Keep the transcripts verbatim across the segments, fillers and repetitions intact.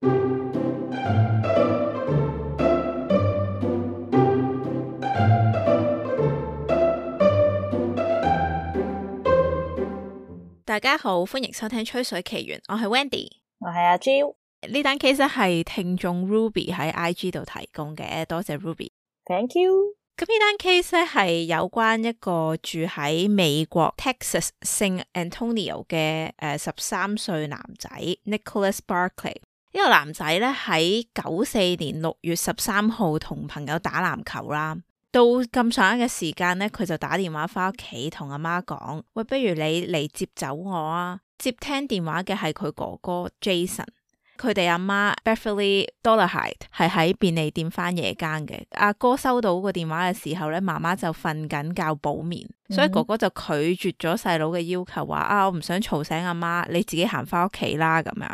大家好，歡迎收聽吹水奇緣，我係 Wendy， 我係阿 Jill。呢單 case 係聽眾 Ruby 喺 I G 度提供嘅，多謝 Ruby。Thank you。咁呢單 case 咧係有關一個住喺美國 Texas San Antonio 嘅誒十三歲男仔 Nicholas Barkley。呢個男仔咧喺九四年六月十三號同朋友打籃球啦。到咁上下嘅時間咧，佢就打電話翻屋企同阿媽講：喂，不如你嚟接走我啊！接聽電話嘅係佢哥哥 Jason， 佢哋阿媽 Beverly Dolarhyde 係喺便利店翻夜更嘅。阿哥收到個電話嘅時候咧，媽媽就瞓緊覺補眠，嗯、所以哥哥就拒絕咗細佬嘅要求，話啊，我唔想嘈醒阿媽，你自己行翻屋企啦咁樣。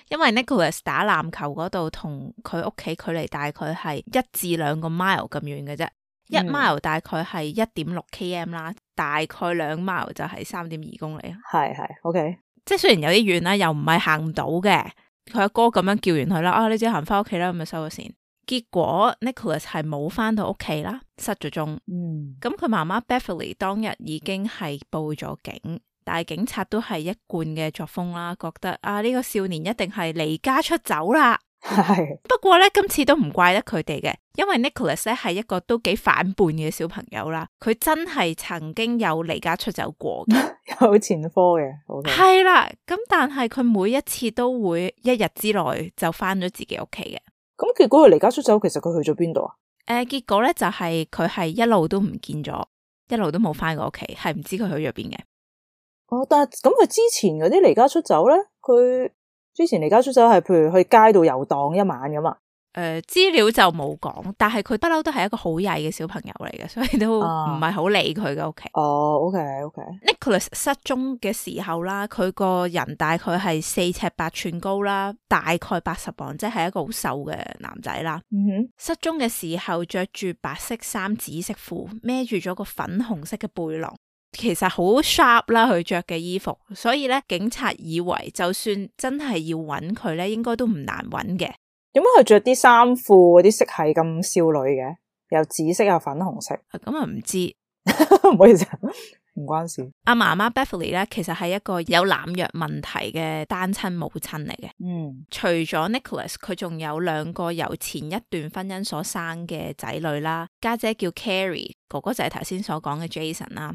因為 Nicholas 打籃球嗰度同佢屋企距離大概係一至兩個 mile 咁遠嘅啫。一 mile 大概係一點六 km 啦，大概兩 mile 就係三點二公里。係係 OK， 即係雖然有啲遠啦，又唔係行唔到嘅。佢阿哥咁樣叫完佢啦，啊，你自己行翻屋企啦，咁就收咗線。結果 Nicholas 係冇翻到屋企啦，失咗蹤。嗯，咁佢媽媽 Beverly 當日已經係報咗警，但係警察都係一貫嘅作風啦，覺得啊，呢個少年一定係離家出走啦。係，不過咧今次都唔怪得佢哋嘅，因為 Nicholas 咧係一個都幾反叛嘅小朋友啦，佢真係曾經有離家出走過嘅，有前科嘅，係啦，咁但係佢每一次都會一日之內就翻咗自己屋企嘅。咁結果佢離家出走，其實佢去咗邊度啊？誒、呃，結果咧就係佢係一路都唔見咗，一路都冇翻過屋企，係唔知佢去咗邊嘅。哦，但係咁佢之前嗰啲離家出走咧，佢。之前離家出走係譬如去街度遊蕩一晚咁嘛？誒、呃，資料就冇講，但係佢不嬲都係一個好曳嘅小朋友嚟嘅，所以都唔係好理佢嘅屋企。哦 ，OK OK。Nicholas 失蹤嘅時候啦，佢個人大概係四尺八寸高啦，大概八十磅，即係一個好瘦嘅男仔啦。嗯哼。失蹤嘅時候着住白色衫、紫色褲，孭住咗個粉紅色嘅背囊。其實好 sharp 啦，佢着嘅衣服，所以咧警察以為就算真係要揾佢咧，應該都唔難揾嘅。點解佢着啲衫褲嗰啲色係咁少女嘅？又紫色又粉紅色，咁啊唔知，唔好意思，唔關事。阿媽媽 Beverly 咧，其實係一個有濫藥問題嘅單親母親嚟嘅。嗯，除咗 Nicholas， 佢仲有兩個由前一段婚姻所生嘅仔女啦，家姐叫 Carrie。哥哥就係頭先所講嘅 Jason 啦，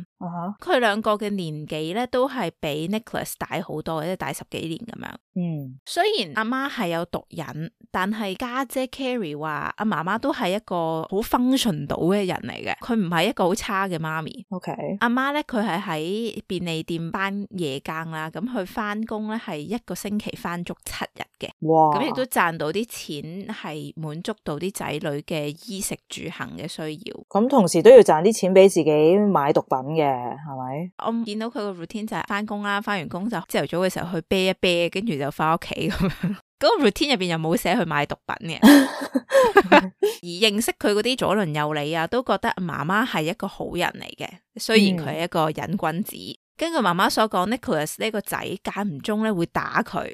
佢兩、uh huh. 個嘅年紀咧都係比 Nicholas 大好多，即係大十幾年咁樣。嗯，雖然阿媽係有毒癮，但係家姐 Carrie 話阿媽媽都係一個好 function 到嘅人嚟嘅，佢唔係一個好差嘅媽咪。OK，阿媽咧佢係喺便利店返夜更啦，咁佢返工咧係一個星期返足七日嘅。哇，咁亦都賺到啲錢，係滿足到啲仔女嘅衣食住行嘅需要。咁同時都要賺啲錢俾自己買毒品嘅，係咪？我見到佢個 routine 就係翻工啦，翻完工就朝頭早嘅時候去啤一啤，跟住就翻屋企咁樣。嗰個 routine 入邊又冇寫去買毒品嘅。而認識佢嗰啲左鄰右里啊，都覺得媽媽係一個好人嚟嘅，雖然佢係一個癮君子。嗯，根據媽媽所講 Nicholas 呢個仔間唔中咧會打佢，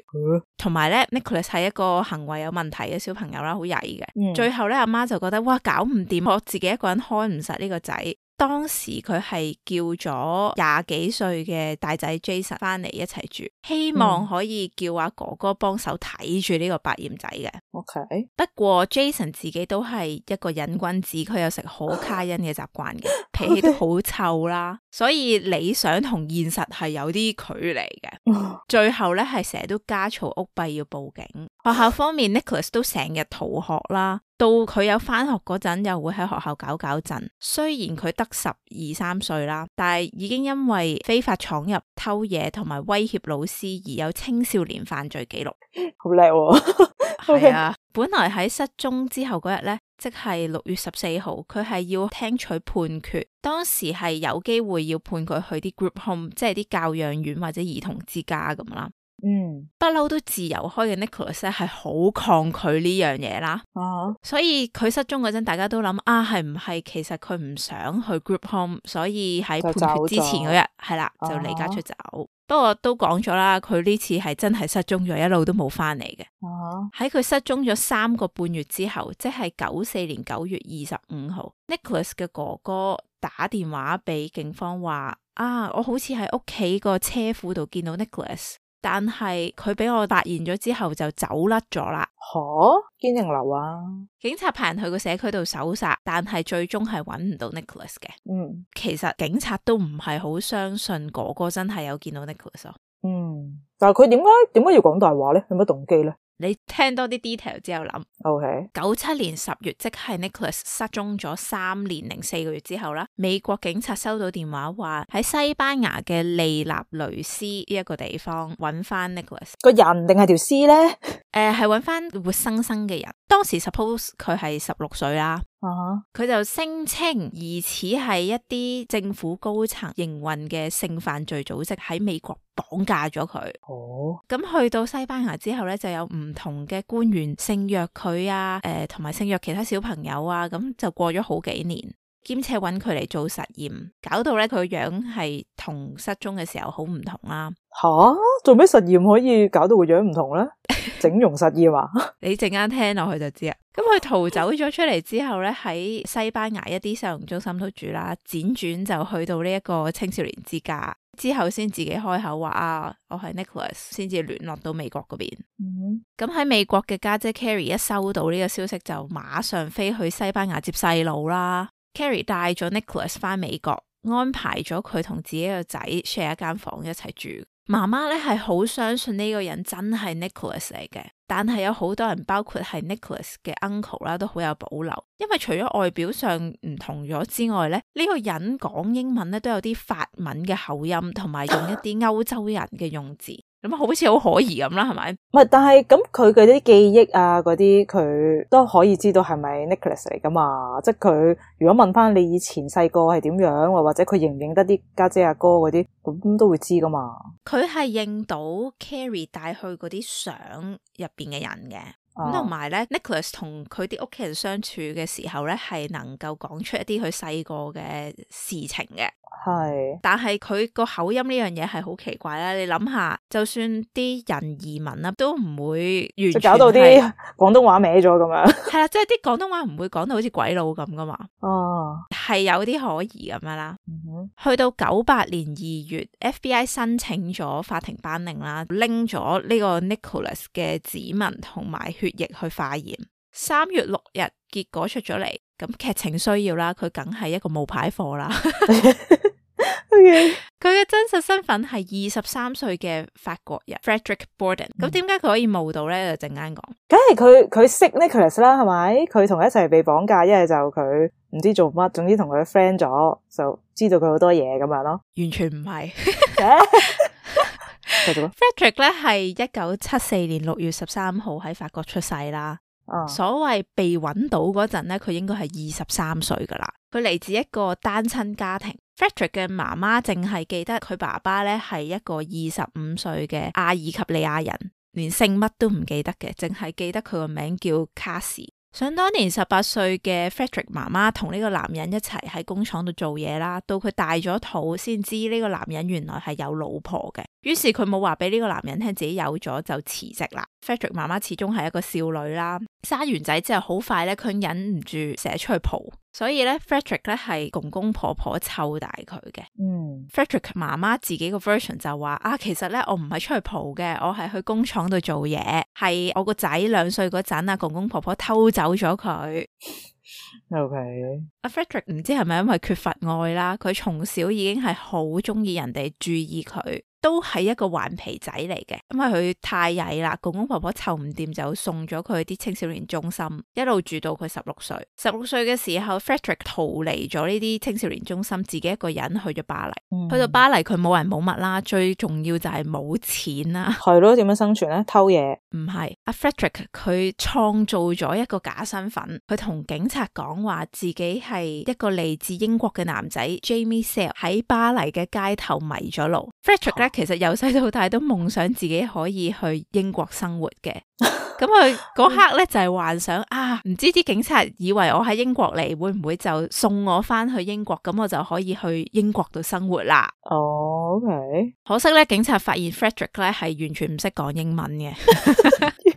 同埋咧 Nicholas 係一個行為有問題嘅小朋友啦，好曳嘅。嗯、最後咧阿媽就覺得哇，搞唔掂，我自己一個人開唔實呢個仔。當時佢係叫咗廿幾歲嘅大仔 Jason 翻嚟一齊住，希望可以叫阿哥哥幫手睇住呢個百厭仔嘅。OK，不過 Jason 自己都係一個癮君子，佢有食可卡因嘅習慣嘅，脾氣都好臭啦，所以理想同現實係有啲距離嘅。最後咧係成日都家嘈屋閉要報警。學校方面 Nicholas 都成日逃學啦，到佢有翻學嗰陣又會喺學校搞搞震。雖然佢得十二三歲啦，但係已經因為非法闖入、偷嘢同埋威脅老師而有青少年犯罪記錄。好叻喎！係啊，本來喺失蹤之後嗰日咧，即係六月十四號，佢係要聽取判決，當時係有機會要判佢去啲 group home，即係啲教養院或者兒童之家咁啦。嗯，不嬲都自由開嘅 Nicholas 咧係好抗拒呢樣嘢啦，啊，所以佢失蹤嗰陣，大家都諗啊，係唔係其實佢唔想去 group home，所以喺判決之前嗰日係啦就離家出走。啊、不過都講咗啦，佢呢次係真係失蹤咗，一路都冇翻嚟嘅。喺佢、啊、失蹤咗三個半月之後，即係九四年九月二十五號 ，Nicholas 嘅哥哥打電話俾警方話啊，我好似喺屋企個車庫度見到 Nicholas。但係佢俾我發現咗之後就走甩咗啦。吓，堅定流啊！警察派人去個社區度搜查，但係最終係揾唔到 Nicholas 嘅。嗯，其實警察都唔係好相信哥哥真係有見到 Nicholas 咯。嗯，但係佢點解點解要講大話咧？有乜動機咧？你聽多啲 detail 之後諗 ，OK，九七年十月，即係 Nicholas 失蹤咗三年零四個月之後啦，美國警察收到電話話喺西班牙嘅利納雷斯呢一個地方揾翻 Nicholas 個人定係條屍咧？誒、呃，係揾翻活生生嘅人。當時 suppose 佢係十六歲啦。佢、uh huh. 就聲稱疑似係一啲政府高層營運嘅性犯罪組織喺美國綁架咗佢。哦，咁去到西班牙之後咧，就有唔同嘅官員性虐佢啊，誒、呃，同埋性虐其他小朋友啊，咁就過咗好幾年，兼且揾佢嚟做實驗，搞到咧佢個樣係同失蹤嘅時候好唔同啦。吓，做咩實驗可以搞到個樣唔同咧？整容實驗啊？你陣間聽落去就知啦。咁佢逃走咗出嚟之後咧，喺西班牙一啲收容中心都住啦，輾轉就去到呢一個青少年之家，之後先自己開口話啊，我係 Nicholas， 先至聯絡到美國嗰邊。咁喺、嗯、美國嘅家姐 Carrie 一收到呢個消息，就馬上飛去西班牙接細路啦。Carrie 帶咗 Nicholas 翻美國，安排咗佢同自己個仔 share 一間房一齊住。媽媽咧係好相信呢個人真係 Nicholas 嚟嘅，但係有好多人，包括係 Nicholas 嘅 uncle 啦，都好有保留，因為除咗外表上唔同咗之外咧，呢、這個人講英文咧都有啲法文嘅口音，同埋用一啲歐洲人嘅用字。咁好似好可疑咁啦，係咪？唔係，但係咁佢嘅啲記憶啊，嗰啲佢都可以知道係咪 Nicholas 嚟噶嘛？即係佢如果問翻你以前細個係點樣，或者佢認唔認得啲家姐阿哥嗰啲，咁都會知噶嘛？佢係認到 Carrie 帶去嗰啲相入邊嘅人嘅。咁同埋咧 ，Nicholas 同佢啲屋企人相處嘅時候咧，係能夠講出一啲佢細個嘅事情嘅。係，但係佢個口音呢樣嘢係好奇怪啦。你諗下，就算啲人移民啦，都唔會完全搞到啲廣東話歪咗咁樣。係啦，即係啲廣東話唔會講到好似鬼佬咁噶嘛。哦，係有啲可疑咁樣啦。嗯、哼去到九八年二月 ，F B I 申請咗法庭頒令啦，拎咗呢個 Nicholas 嘅指紋同埋血液去化驗。三月六日結果出咗嚟，咁劇情需要啦，佢梗係一個冒牌貨啦。佢嘅真實身份係二十三歲嘅法國人 Frederick Borden。咁點解佢可以冒到咧？就陣間講。梗係佢佢識 Nicholas 啦，係咪？佢同佢一齊被綁架，一係就佢唔知做乜，總之同佢 friend 咗，就知道佢好多嘢咁樣咯。完全唔係。Frederick 咧係一九七四年六月十三號喺法國出世啦。Uh. 所謂被揾到嗰陣咧，佢應該係二十三歲噶啦。佢嚟自一個單親家庭。Frederick 嘅媽媽淨係記得佢爸爸咧係一個二十五歲嘅阿爾及利亞人，連姓乜都唔記得嘅，淨係記得佢個名叫卡士。想當年十八歲嘅 Frederick 媽媽同呢個男人一齊喺工廠度做嘢啦，到佢大咗肚先知呢個男人原來係有老婆嘅，於是佢冇話俾呢個男人聽自己有咗就辭職啦。Frederick 媽媽始終係一個少女啦，生完仔之後好快咧，佢忍唔住成日出去蒲，所以咧 Frederick 咧係公公婆婆湊大佢嘅。嗯 Frederick 媽媽自己個 version 就話啊，其實咧我唔係出去蒲嘅，我係去工廠度做嘢，係我個仔兩歲嗰陣啊，公公婆婆偷走咗佢。OK， 阿 Frederick 唔知係咪因為缺乏愛啦，佢從小已經係好中意人哋注意佢，都係一個頑皮仔嚟嘅，因為佢太曳啦，公公婆婆湊唔掂就送咗佢去啲青少年中心，一路住到佢十六歲。十六歲嘅時候 Frederick 逃離咗呢啲青少年中心，自己一個人去咗巴黎。嗯、去到巴黎佢冇人冇物啦，最重要就係冇錢啦。係咯，點樣生存咧？偷嘢。唔係，阿 Frederick 佢創造咗一個假身份，佢同警察講話自己係一個嚟自英國嘅男仔 Jamie Sale 喺巴黎嘅街頭迷咗路。Frederick 咧其實由細到大都夢想自己可以去英國生活嘅。咁佢嗰刻咧就係、是、幻想啊，唔知啲警察以為我喺英國嚟，會唔會就送我翻去英國，咁我就可以去英國度生活啦。哦、oh,，OK。可惜咧，警察發現 Frederick 咧係完全唔識講英文嘅。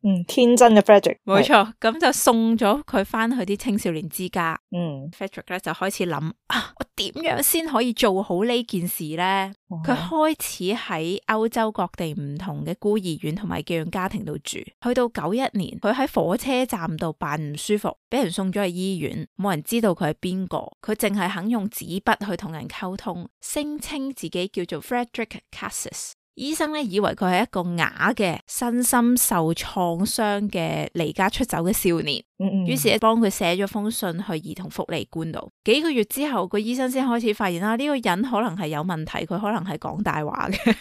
嗯，天真嘅 Frederick。冇錯，咁就送咗佢翻去啲青少年之家。嗯 Frederick 咧就開始諗啊，我點樣先可以做好呢件事呢？佢、嗯、開始喺歐洲各地唔同嘅孤兒院同埋寄養家庭度住，去到九一年，佢喺火車站度扮唔舒服，俾人送咗去醫院，冇人知道佢係邊個，佢淨係肯用紙筆去同人溝通，聲稱自己叫做 Frederick Cassis。醫生咧以為佢係一個啞嘅身心受創傷嘅離家出走嘅少年，於、嗯、是咧幫佢寫咗封信去兒童福利官度。幾個月之後，個醫生先開始發現啦，呢、這個人可能係有問題，佢可能係講大話嘅。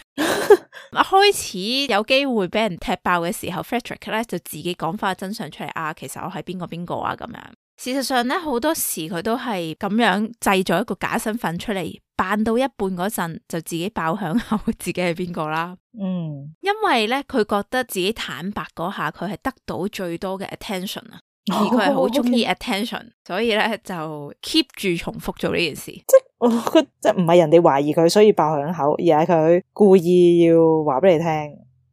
開始有機會俾人踢爆嘅時候，Frederick 咧就自己講翻真相出嚟啊，其實我係邊個邊個啊咁樣。事實上咧，好多時佢都係咁樣製造一個假身份出嚟，扮到一半嗰陣就自己爆響口，自己係邊個啦。嗯，因為咧佢覺得自己坦白嗰下，佢係得到最多嘅 attention 啊，而佢係好中意 attention，、oh, okay. 所以咧就 keep 住重複做呢件事。即係我覺得即係唔係人哋懷疑佢，所以爆響口，而係佢故意要話俾你聽，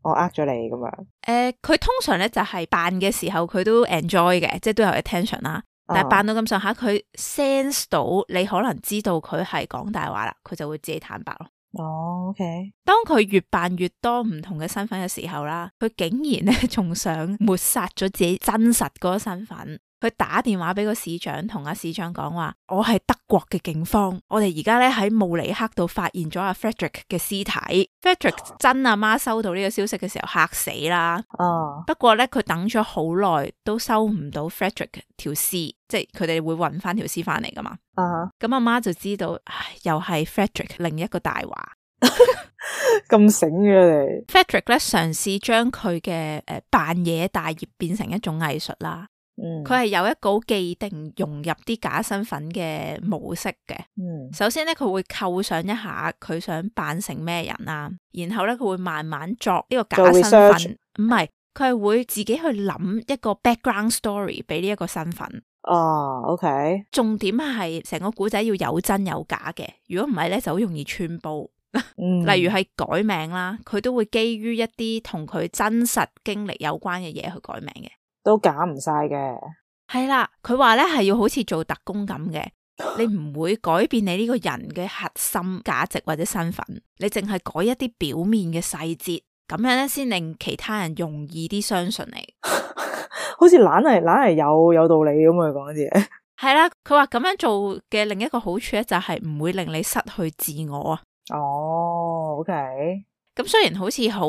我呃咗你咁樣。誒、呃，佢通常咧就係扮嘅時候，佢都 enjoy 嘅，即係都有 attention 啦。但係扮到咁上下，佢 sense 到你可能知道佢係講大話啦，佢就會自己坦白咯。哦、oh, OK。當佢越扮越多唔同嘅身份嘅時候啦，佢竟然咧仲想抹殺咗自己真實嗰個身份。佢打電話俾個市長，同阿市長講話：我係德國嘅警方，我哋而家咧喺慕尼黑度發現咗阿 Frederick 嘅屍體。Frederick 真阿媽收到呢個消息嘅時候嚇死啦。哦。不過咧，佢等咗好耐都收唔到 Frederick 條屍，即係佢哋會搵翻條屍翻嚟噶嘛。啊。咁阿媽就知道，唉，又係 Frederick 另一個大話。咁醒嘅你。Frederick 咧嘗試將佢嘅誒扮嘢大業變成一種藝術啦。佢係、嗯、有一個既定融入啲假身份嘅模式嘅。嗯、首先咧佢會構想一下佢想扮成咩人啊，然後咧佢會慢慢作呢個假身份。唔係，佢係會自己去諗一個 background story 俾呢一個身份。哦 ，OK。重點係成個古仔要有真有假嘅，如果唔係咧就好容易穿煲。嗯、例如係改名啦，佢都會基於一啲同佢真實經歷有關嘅嘢去改名嘅。都假唔晒嘅，係啦。佢話咧係要好似做特工咁嘅，你唔會改變你呢個人嘅核心價值或者身份，你淨係改一啲表面嘅細節，咁樣咧先令其他人容易啲相信你。好似懶係懶係有有道理咁啊，講啲嘢。係啦，佢話咁樣做嘅另一個好處咧就係唔會令你失去自我啊。哦 ，OK。咁雖然好似好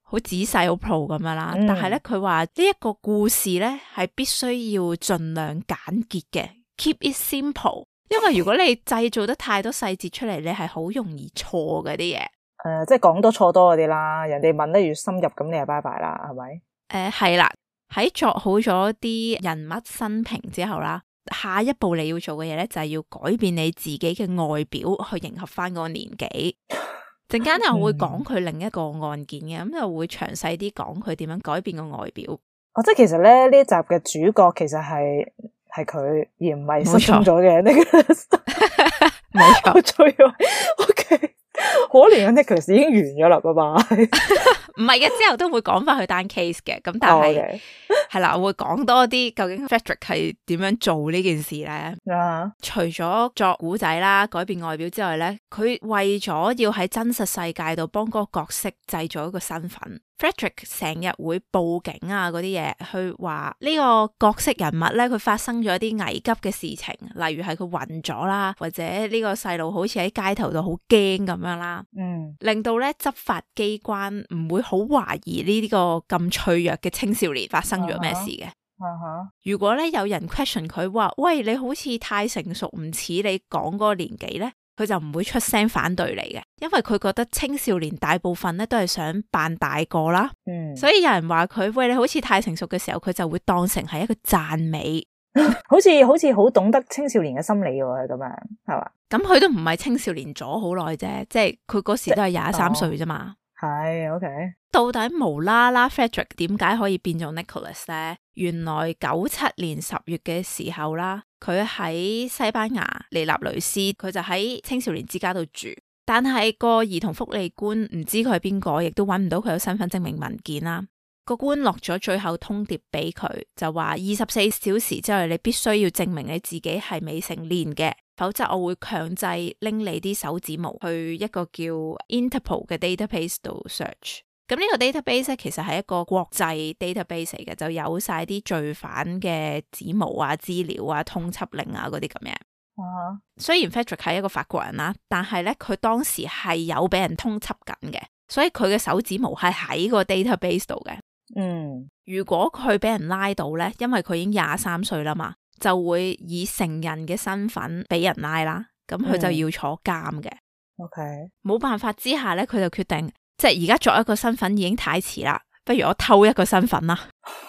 好仔細好 pro 咁樣啦，嗯、但係咧佢話呢一個故事咧係必須要盡量簡潔嘅 ，keep it simple。因為如果你製造得太多細節出嚟，你係好容易錯嗰啲嘢。誒、呃，即係講多錯多嗰啲啦。人哋問得越深入，咁你就拜拜啦，係咪？誒、呃，係啦。喺作好咗啲人物生平之後啦，下一步你要做嘅嘢咧就係要改變你自己嘅外表去迎合翻嗰個年紀。陣間又會講佢另一個案件嘅，咁、嗯、就會詳細啲講佢點樣改變個外表。哦，即係其實咧呢一集嘅主角其實係係佢，而唔係失蹤咗嘅 Nicholas。冇錯，最 OK。可憐嘅 Nicholas 已經完咗啦，拜拜。唔係嘅，之後都會講翻佢單 case 嘅，咁但係係、oh, okay. 啦，我會講多啲究竟 Frederick 係點樣做呢件事咧。Uh-huh. 除咗作古仔啦、改變外表之外咧，佢為咗要喺真實世界度幫嗰個角色製造一個身份。Frederick 成日會報警啊嗰啲嘢，去話呢個角色人物咧，佢發生咗一啲危急嘅事情，例如係佢暈咗啦，或者呢個細路好似喺街頭度好驚咁樣啦，嗯，令到咧執法機關唔會好懷疑呢啲個咁脆弱嘅青少年發生咗咩事嘅。Uh-huh. 如果咧有人 question 佢話，喂，你好似太成熟，唔似你講嗰個年紀咧，佢就唔會出聲反對你嘅，因為佢覺得青少年大部分咧都係想扮大個啦，嗯，所以有人話佢喂，你好似太成熟嘅時候，佢就會當成係一個讚美，好似好似好懂得青少年嘅心理喎，咁樣係嘛？咁佢都唔係青少年咗好耐啫，即係佢嗰時都係廿三歲啫嘛。係 OK。到底無啦啦 Frederick 點解可以變做 Nicholas 咧？原來九七年十月嘅時候啦，佢喺西班牙利納雷斯，佢就喺青少年之家度住，但係個兒童福利官唔知佢係邊個，亦都揾唔到佢有身份證明文件啦。個官落咗最後通牒俾佢，就話二十四小時之內你必須要證明你自己係未成年嘅，否則我會強制拎你啲手指模去一個叫 Interpol 嘅 database 度 search。咁呢個 database 咧，其實係一個國際 database 嚟嘅，就有晒啲罪犯嘅指模啊、資料啊、通緝令啊嗰啲咁樣。啊，雖然 Frederick 係一個法國人啦，但係咧佢當時係有俾人通緝緊嘅，所以佢嘅手指模係喺個 database 度嘅。嗯，如果佢俾人拉到咧，因為佢已經廿三歲啦嘛，就會以成人嘅身份俾人拉啦，咁佢就要坐監嘅。OK，冇辦法之下咧，佢就決定。即係而家作一個身份已經太遲啦，不如我偷一個身份啦。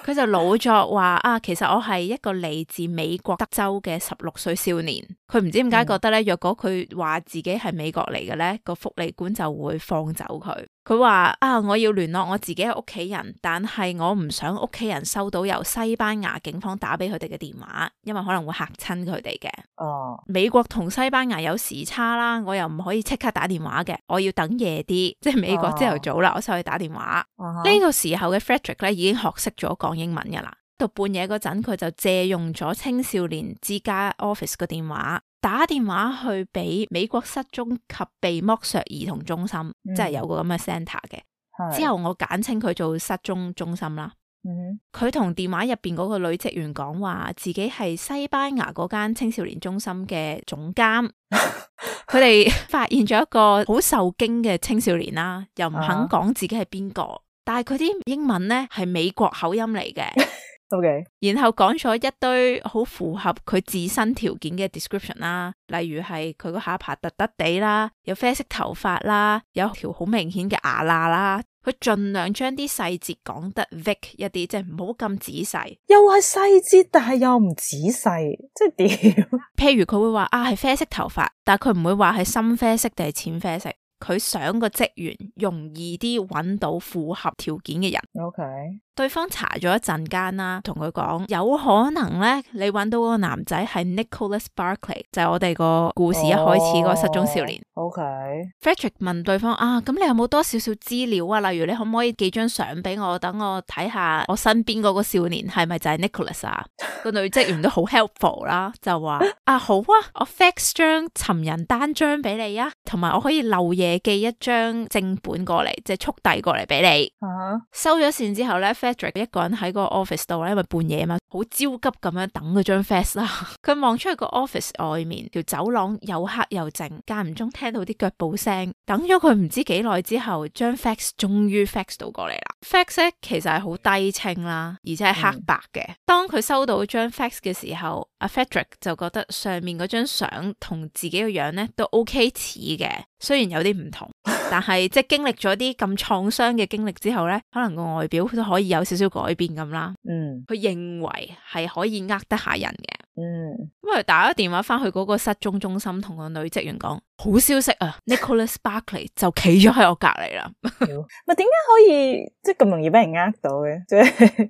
佢就老作話啊，其實我係一個嚟自美國德州嘅十六歲少年。佢唔知點解覺得咧，若果佢話自己係美國嚟嘅咧，個福利官就會放走佢。佢話啊，我要聯絡我自己嘅屋企人，但係我唔想屋企人收到由西班牙警方打俾佢哋嘅電話，因為可能會嚇親佢哋嘅。哦，美國同西班牙有時差啦，我又唔可以即刻打電話嘅，我要等夜啲，即係美國朝頭早啦，我先可以打電話。呢、哦、個時候嘅 Frederick 咧已經學識咗講英文噶啦，到半夜嗰陣佢就借用咗青少年之家 office 個電話，打電話去俾美國失蹤及被剝削兒童中心，嗯、即係有個咁嘅 centre 嘅。之後我簡稱佢做失蹤中心啦。佢同、嗯、電話入邊嗰個女職員講話，自己係西班牙嗰間青少年中心嘅總監。佢哋發現咗一個好受驚嘅青少年啦，又唔肯講自己係邊個，啊、但係佢啲英文呢係美國口音嚟嘅。OK，然後講咗一堆好符合佢自身條件嘅 description 啦，例如係佢個下巴突突地啦，有啡色頭髮啦，有條好明顯嘅牙罅啦。佢盡量將啲細節講得 vague 一啲，即係唔好咁仔細。又係細節，但係又唔仔細，即係點？譬如佢會話啊係啡色頭髮，但係佢唔會話係深啡色定係淺啡色。佢想個職員容易啲揾到符合條件嘅人。OK，對方查咗一陣間啦，同佢講有可能咧，你揾到嗰個男仔係 Nicholas Barclay，就係我哋個故事一開始嗰個失蹤少年。Oh, OK，Frederick、okay. 問對方啊，咁你有冇多少少資料啊？例如你可唔可以寄張相俾我，等我睇下我身邊嗰個少年係咪就係 Nicholas 啊？個女職員都好 helpful 啦，就話啊好啊，我 fax 張尋人單張俾你啊，同埋我可以漏夜寄一張正本過嚟，即係速遞過嚟俾你。Uh-huh. 收咗線之後咧 Frederick 一個人喺個 office 度咧，因為半夜嘛，好焦急咁樣等嗰張 fax 啦。佢望出去個 office 外面條走廊又黑又靜，間唔中聽到啲腳步聲。等咗佢唔知幾耐之後，張 fax 終於 fax 到過嚟啦。fax 咧其實係好低清啦，而且係黑白嘅。嗯、當佢收到張 fax 嘅時候，阿 Frederick 就覺得上面嗰張相同自己個樣咧都 OK 似嘅，雖然有啲唔同，但係即係經歷咗啲咁創傷嘅經歷之後咧，可能個外表都可以有少少改變咁啦。嗯，佢認為係可以呃得下人嘅。嗯，咁佢打咗電話翻去嗰個失蹤中心，同個女職員講好消息啊，Nicholas Barclay 就企咗喺我隔籬啦。咪點解可以即係咁容易俾人呃到嘅？即係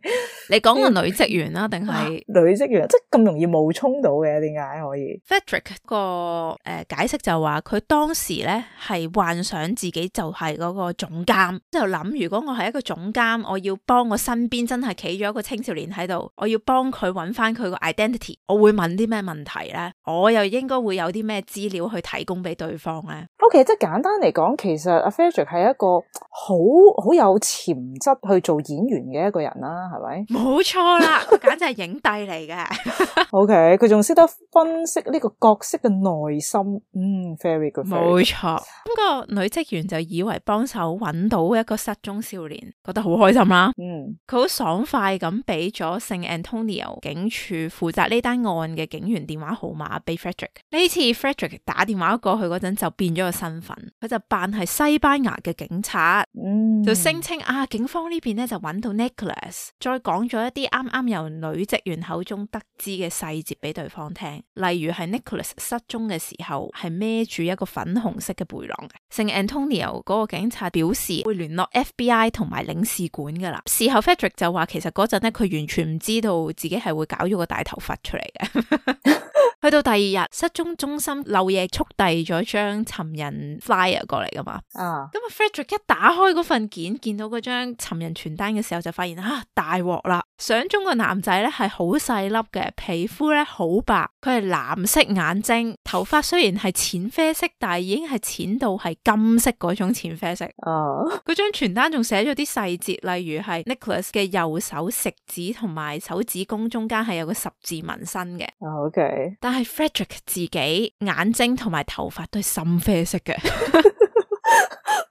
你講個女職員啦，定係女職員即係咁容易冒充到嘅？點解可以 ？Frederick 個誒、呃、解釋就話佢當時咧係幻想自己就係嗰個總監，就諗如果我係一個總監，我要幫我身邊真係企咗一個青少年喺度，我要幫佢揾翻佢個 identity，我會問啲咩問題咧？我又應該會有啲咩資料去提供俾對方咧 ？OK， 即係簡單嚟講，其實阿 Frederick 係一個好好有潛質去做演員嘅一個人啦，係咪？冇錯啦，佢簡直係影帝嚟嘅。OK，佢仲識得分析呢個角色嘅內心，嗯 ，very good。冇錯，咁個女職員就以為幫手揾到一個失蹤少年，覺得好開心啦。嗯，佢好爽快咁俾咗聖 Antonio 警署負責呢單案嘅警員完電話號碼俾 Frederick。呢次 Frederick 打電話過去嗰陣就變咗個身份，佢就扮係西班牙嘅警察，嗯，就聲稱啊警方呢邊咧就揾到 Nicholas， 再講咗一啲啱啱由女職員口中得知嘅細節俾對方聽，例如係 Nicholas 失蹤嘅時候係孭住一個粉紅色嘅背囊嘅。聖 Antonio 嗰個警察表示會聯絡 F B I 同埋領事館噶啦。事後 Frederick 就話其實嗰陣咧佢完全唔知道自己係會搞咗個大頭佛出嚟嘅。去到第二日，失蹤中心漏夜速遞咗張尋人 flyer 過嚟噶嘛。啊，咁啊 Frederick 一打開嗰份件，見到嗰張尋人傳單嘅時候，就發現啊大鑊啦！相中個男仔咧係好細粒嘅，皮膚咧好白，佢係藍色眼睛，頭髮雖然係淺啡色，但係已經係淺到係金色嗰種淺啡色。啊，嗰張傳單仲寫咗啲細節，例如係 Nicholas 嘅右手食指同埋手指公中間係有個十字紋身嘅。啊 OK，但係 Frederick 自己眼睛同埋頭髮都係深啡色嘅。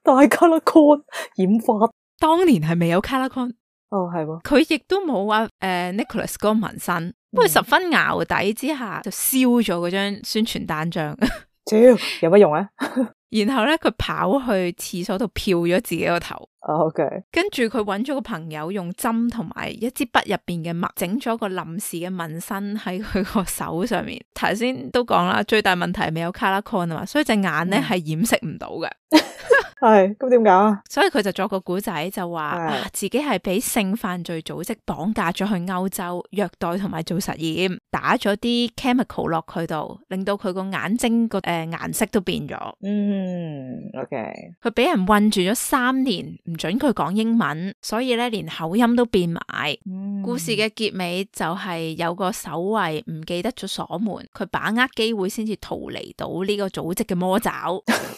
大 color con 染髮，當年係未有 color con。哦係喎，佢亦都冇話誒 Nicholas 嗰個紋身，不過十分淆底之下就燒咗嗰張宣傳單張。屌有乜用啊？然後咧佢跑去廁所度漂咗自己個頭。哦 OK，跟住佢揾咗個朋友用針同埋一支筆入邊嘅墨整咗個臨時嘅紋身喺佢個手上面。頭先都講啦，最大問題係未有 color con 啊嘛，所以隻眼咧係掩飾唔到嘅。係咁點搞啊？所以佢就作個古仔就話、啊、自己係俾性犯罪組織綁架咗去歐洲，虐待同埋做實驗，打咗啲 chemical 落佢度，令到佢個眼睛個誒顏色都變咗。嗯 OK，佢俾人困住咗三年，唔准佢講英文，所以咧連口音都變埋。嗯，故事嘅結尾就係有個守衛唔記得咗鎖門，佢把握機會先至逃離到呢個組織嘅魔爪。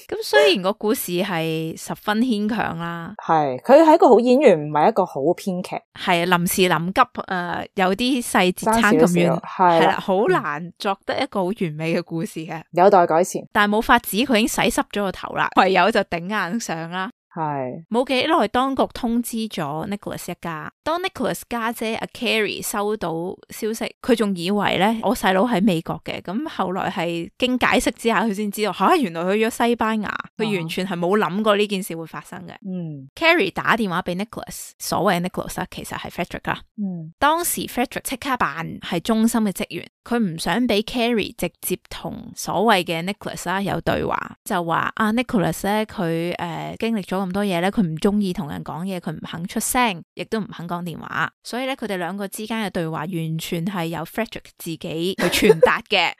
咁雖然個故事係十分牽強啦，係佢係一個好演員，唔係一個好編劇，係臨時臨急誒、呃，有啲細節差咁遠，係啦，好難作得一個好完美嘅故事嘅，有待改善。但係冇法子，佢已經洗濕咗個頭啦，唯有就頂硬上啦。係冇幾耐，當局通知咗 Nicholas 一家。當 Nicholas 家姐阿 Carrie 收到消息，佢仲以為咧我細佬喺美國嘅，咁後來係經解釋之下，佢先知道吓、啊，原來去咗西班牙，佢完全係冇諗過呢件事會發生嘅。嗯 Carrie 打電話俾 Nicholas， 所謂 Nicholas 其實係 Frederick 啦。嗯，當時 Frederick 即刻扮係中心嘅職員，佢唔想俾 Carrie 直接同所謂嘅 Nicholas 啦有對話，就話啊 Nicholas 咧佢誒經歷咗咁多嘢咧，佢唔中意同人講嘢，佢唔肯出聲，亦都唔肯講電話，所以咧佢哋兩個之間嘅對話完全係由 Frederick 自己去傳達嘅。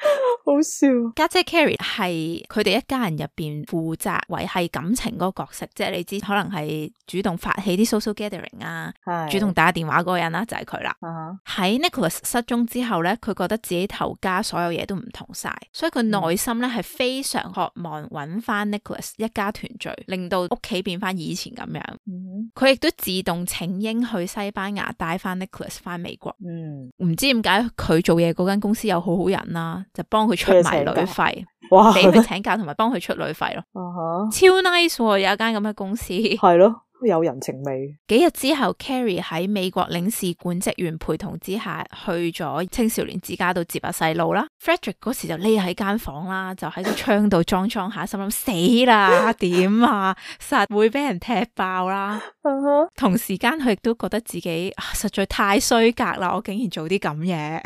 好笑。家姐 Carrie 係佢哋一家人入邊負責維繫感情嗰個角色，即係你知可能係主動發起啲 social gathering 啊，主動打電話嗰個人啦，就係佢啦。喺、uh-huh. Nicholas 失蹤之後咧，佢覺得自己頭家所有嘢都唔同晒，所以佢內心咧係非常渴望揾翻 Nicholas 一家團聚，令到屋企變翻以前咁樣。佢亦都自動請纓去西班牙帶翻 Nicholas 翻美國。唔、嗯、知點解佢做嘢嗰間公司有好好人啦，就幫佢出埋旅費，哇，俾佢請假同埋幫佢出旅費咯。Uh-huh. 超 nice， 有一間咁嘅公司。係咯。有人情味。幾日之後 Carrie 喺美國領事館職員陪同之下去咗青少年之家度接下細路啦。Frederick 嗰時就匿喺間房啦，就喺個窗度裝裝下，心諗死啦，點啊，實會俾人踢爆啦。Uh-huh. 同時間佢亦都覺得自己、啊、實在太衰格啦，我竟然做啲咁嘢。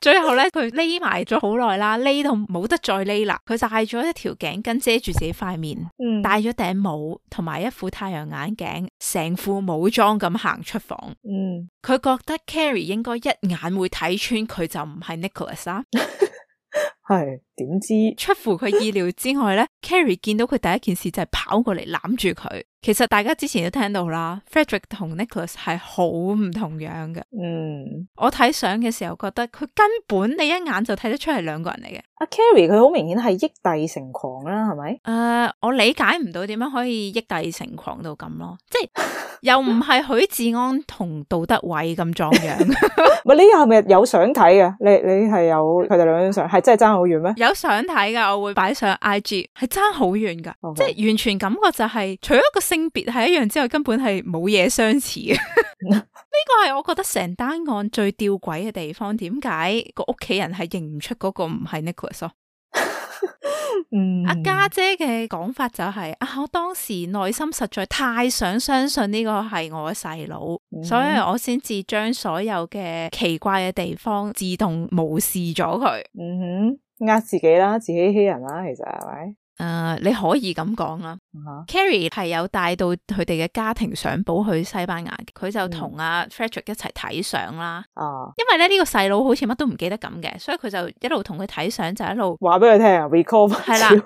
最後咧，佢匿埋咗好耐啦，匿到冇得再匿啦。佢戴咗一條頸巾遮住自己塊面，嗯、戴咗頂帽同埋一副太陽眼鏡，成副武裝咁行出房。嗯，佢覺得 Carrie 應該一眼會睇穿佢就唔係 Nicholas 啦。係點知出乎佢意料之外咧，Carrie 見到佢第一件事就係跑過嚟攬住佢。其實大家之前都聽到啦 ，Frederick 同 Nicholas 係好唔同樣嘅。嗯，我睇相嘅時候覺得佢根本你一眼就睇得出係兩個人嚟嘅。阿 Carrie 佢好明顯係益帝成狂啦，係咪？誒、呃，我理解唔到點樣可以益帝成狂到咁咯，即係又唔係許志安同杜德偉咁壯樣。唔係，你係咪有相睇嘅？你你係有佢哋兩張相，係真係爭好遠咩？有相睇噶，我會擺上 I G， 係爭好遠噶， Okay. 即係完全感覺就係、是、除咗個性性別係一樣之外，根本係冇嘢相似嘅。呢個係我覺得成單案最吊詭嘅地方，點解個屋企人係認唔出嗰個唔係 Nicholas 咯？嗯，阿家姐嘅講法就係、是、啊，我當時內心實在太想相信呢個係我嘅細佬，嗯、所以我先至將所有嘅奇怪嘅地方自動無視咗佢。嗯哼，呃自己啦，自欺欺人啦，其實係咪？誒、uh, 你可以咁講啦。uh-huh. Carrie 係有帶到佢哋嘅家庭相簿去西班牙，佢就同阿 Frederick 一齊睇相啦。哦、uh-huh. 因為咧呢、這個細佬好似乜都唔記得咁嘅，所以佢就一路同佢睇相，就一路話俾佢聽啊 recall 係啦，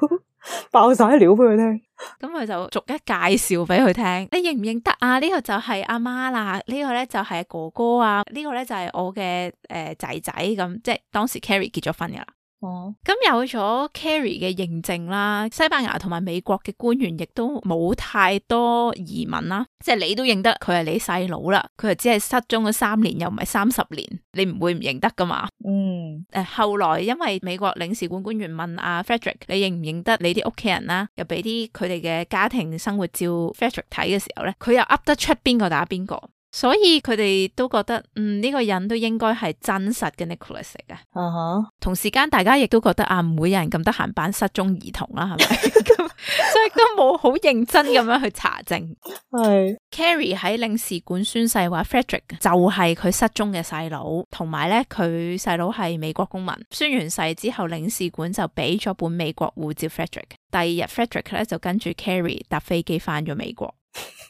爆晒料俾佢聽。咁佢就逐一介紹俾佢聽，你認唔認得啊？呢、這個就係阿媽啦，呢、這個咧就係哥哥啊，呢、這個咧就係我嘅誒仔仔咁，即係當時 Carrie 結咗婚噶啦。哦，咁有咗 Carrie 嘅認證啦，西班牙同埋美國嘅官員亦都冇太多疑問啦，即係你都認得佢係你細佬啦，佢係只係失蹤咗三年，又唔係三十年，你唔會唔認得噶嘛？嗯，誒，後來因為美國領事館官員問阿 Frederick， 你認唔認得你啲屋企人啦？又俾啲佢哋嘅家庭生活照 Frederick 睇嘅時候咧，佢又噏得出邊個打邊個。所以佢哋都覺得，嗯，呢、這個人都應該係真實嘅 Nicholas 嚟嘅。Uh-huh. 同時間大家亦都覺得啊，唔會有人咁得閒扮失蹤兒童啦，係咪？咁所以都冇好認真咁樣去查證。係Carrie 喺領事館宣誓話 Frederick 就係佢失蹤嘅細佬，同埋咧佢細佬係美國公民。宣完誓之後，領事館就俾咗本美國護照 Frederick。第二日 Frederick 咧就跟住 Carrie 搭飛機翻咗美國。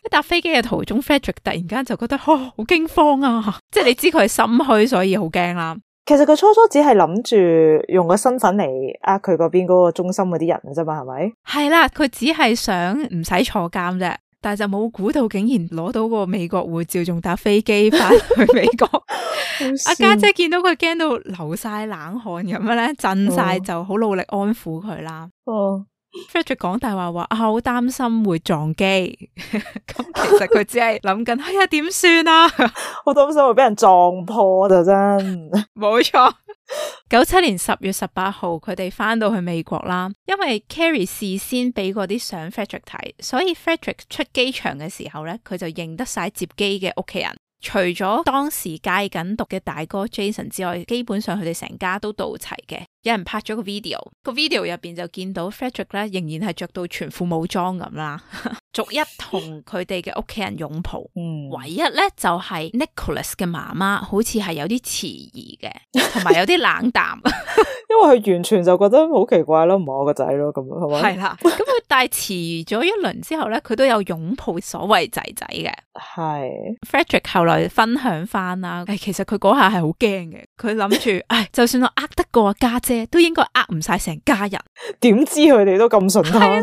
喺搭飛機嘅途中 Frederick 突然間就覺得哦，好驚慌啊，即係你知佢係心虛，所以好驚啦。其實佢初初只係諗住用個身份嚟呃佢嗰邊嗰個中心嗰啲人啫嘛，係咪？係啦，佢只係想唔使坐監啫，但係就冇估到竟然攞到個美國護照，仲搭飛機翻去美國。阿家姐見到佢驚到流晒冷汗咁樣咧，震晒，哦，就好努力安撫佢啦。哦。Frederick 講大話話啊，好擔心會撞機，咁其實佢只係諗緊，哎呀點算啊？好擔心會俾人撞破就真，冇錯。九七年十月十八號，佢哋翻到去美國啦，因為 Carrie 事先俾過啲相 Frederick 睇，所以 Frederick 出機場嘅時候咧，佢就認得晒接機嘅屋企人。除咗當時戒緊毒嘅大哥 Jason 之外，基本上佢哋成家都到齊嘅。有人拍咗個 video，個 video 入邊就見到 Frederick 咧仍然係着到全副武裝咁啦，逐一同佢哋嘅屋企人擁抱。嗯，唯一咧就係、是、Nicholas 嘅媽媽好似係有啲遲疑嘅，同埋有啲冷淡，因為佢完全就覺得好奇怪咯，唔係我個仔咯，咁樣係咪？係啦，咁佢但係遲咗一輪之後咧，佢都有擁抱所謂仔仔嘅。係 Frederick 後來分享翻啦，誒，其實佢嗰下係好驚嘅，佢諗住，唉，就算我呃得過家姐，都應該呃唔晒成家人。點知佢哋都咁順攤？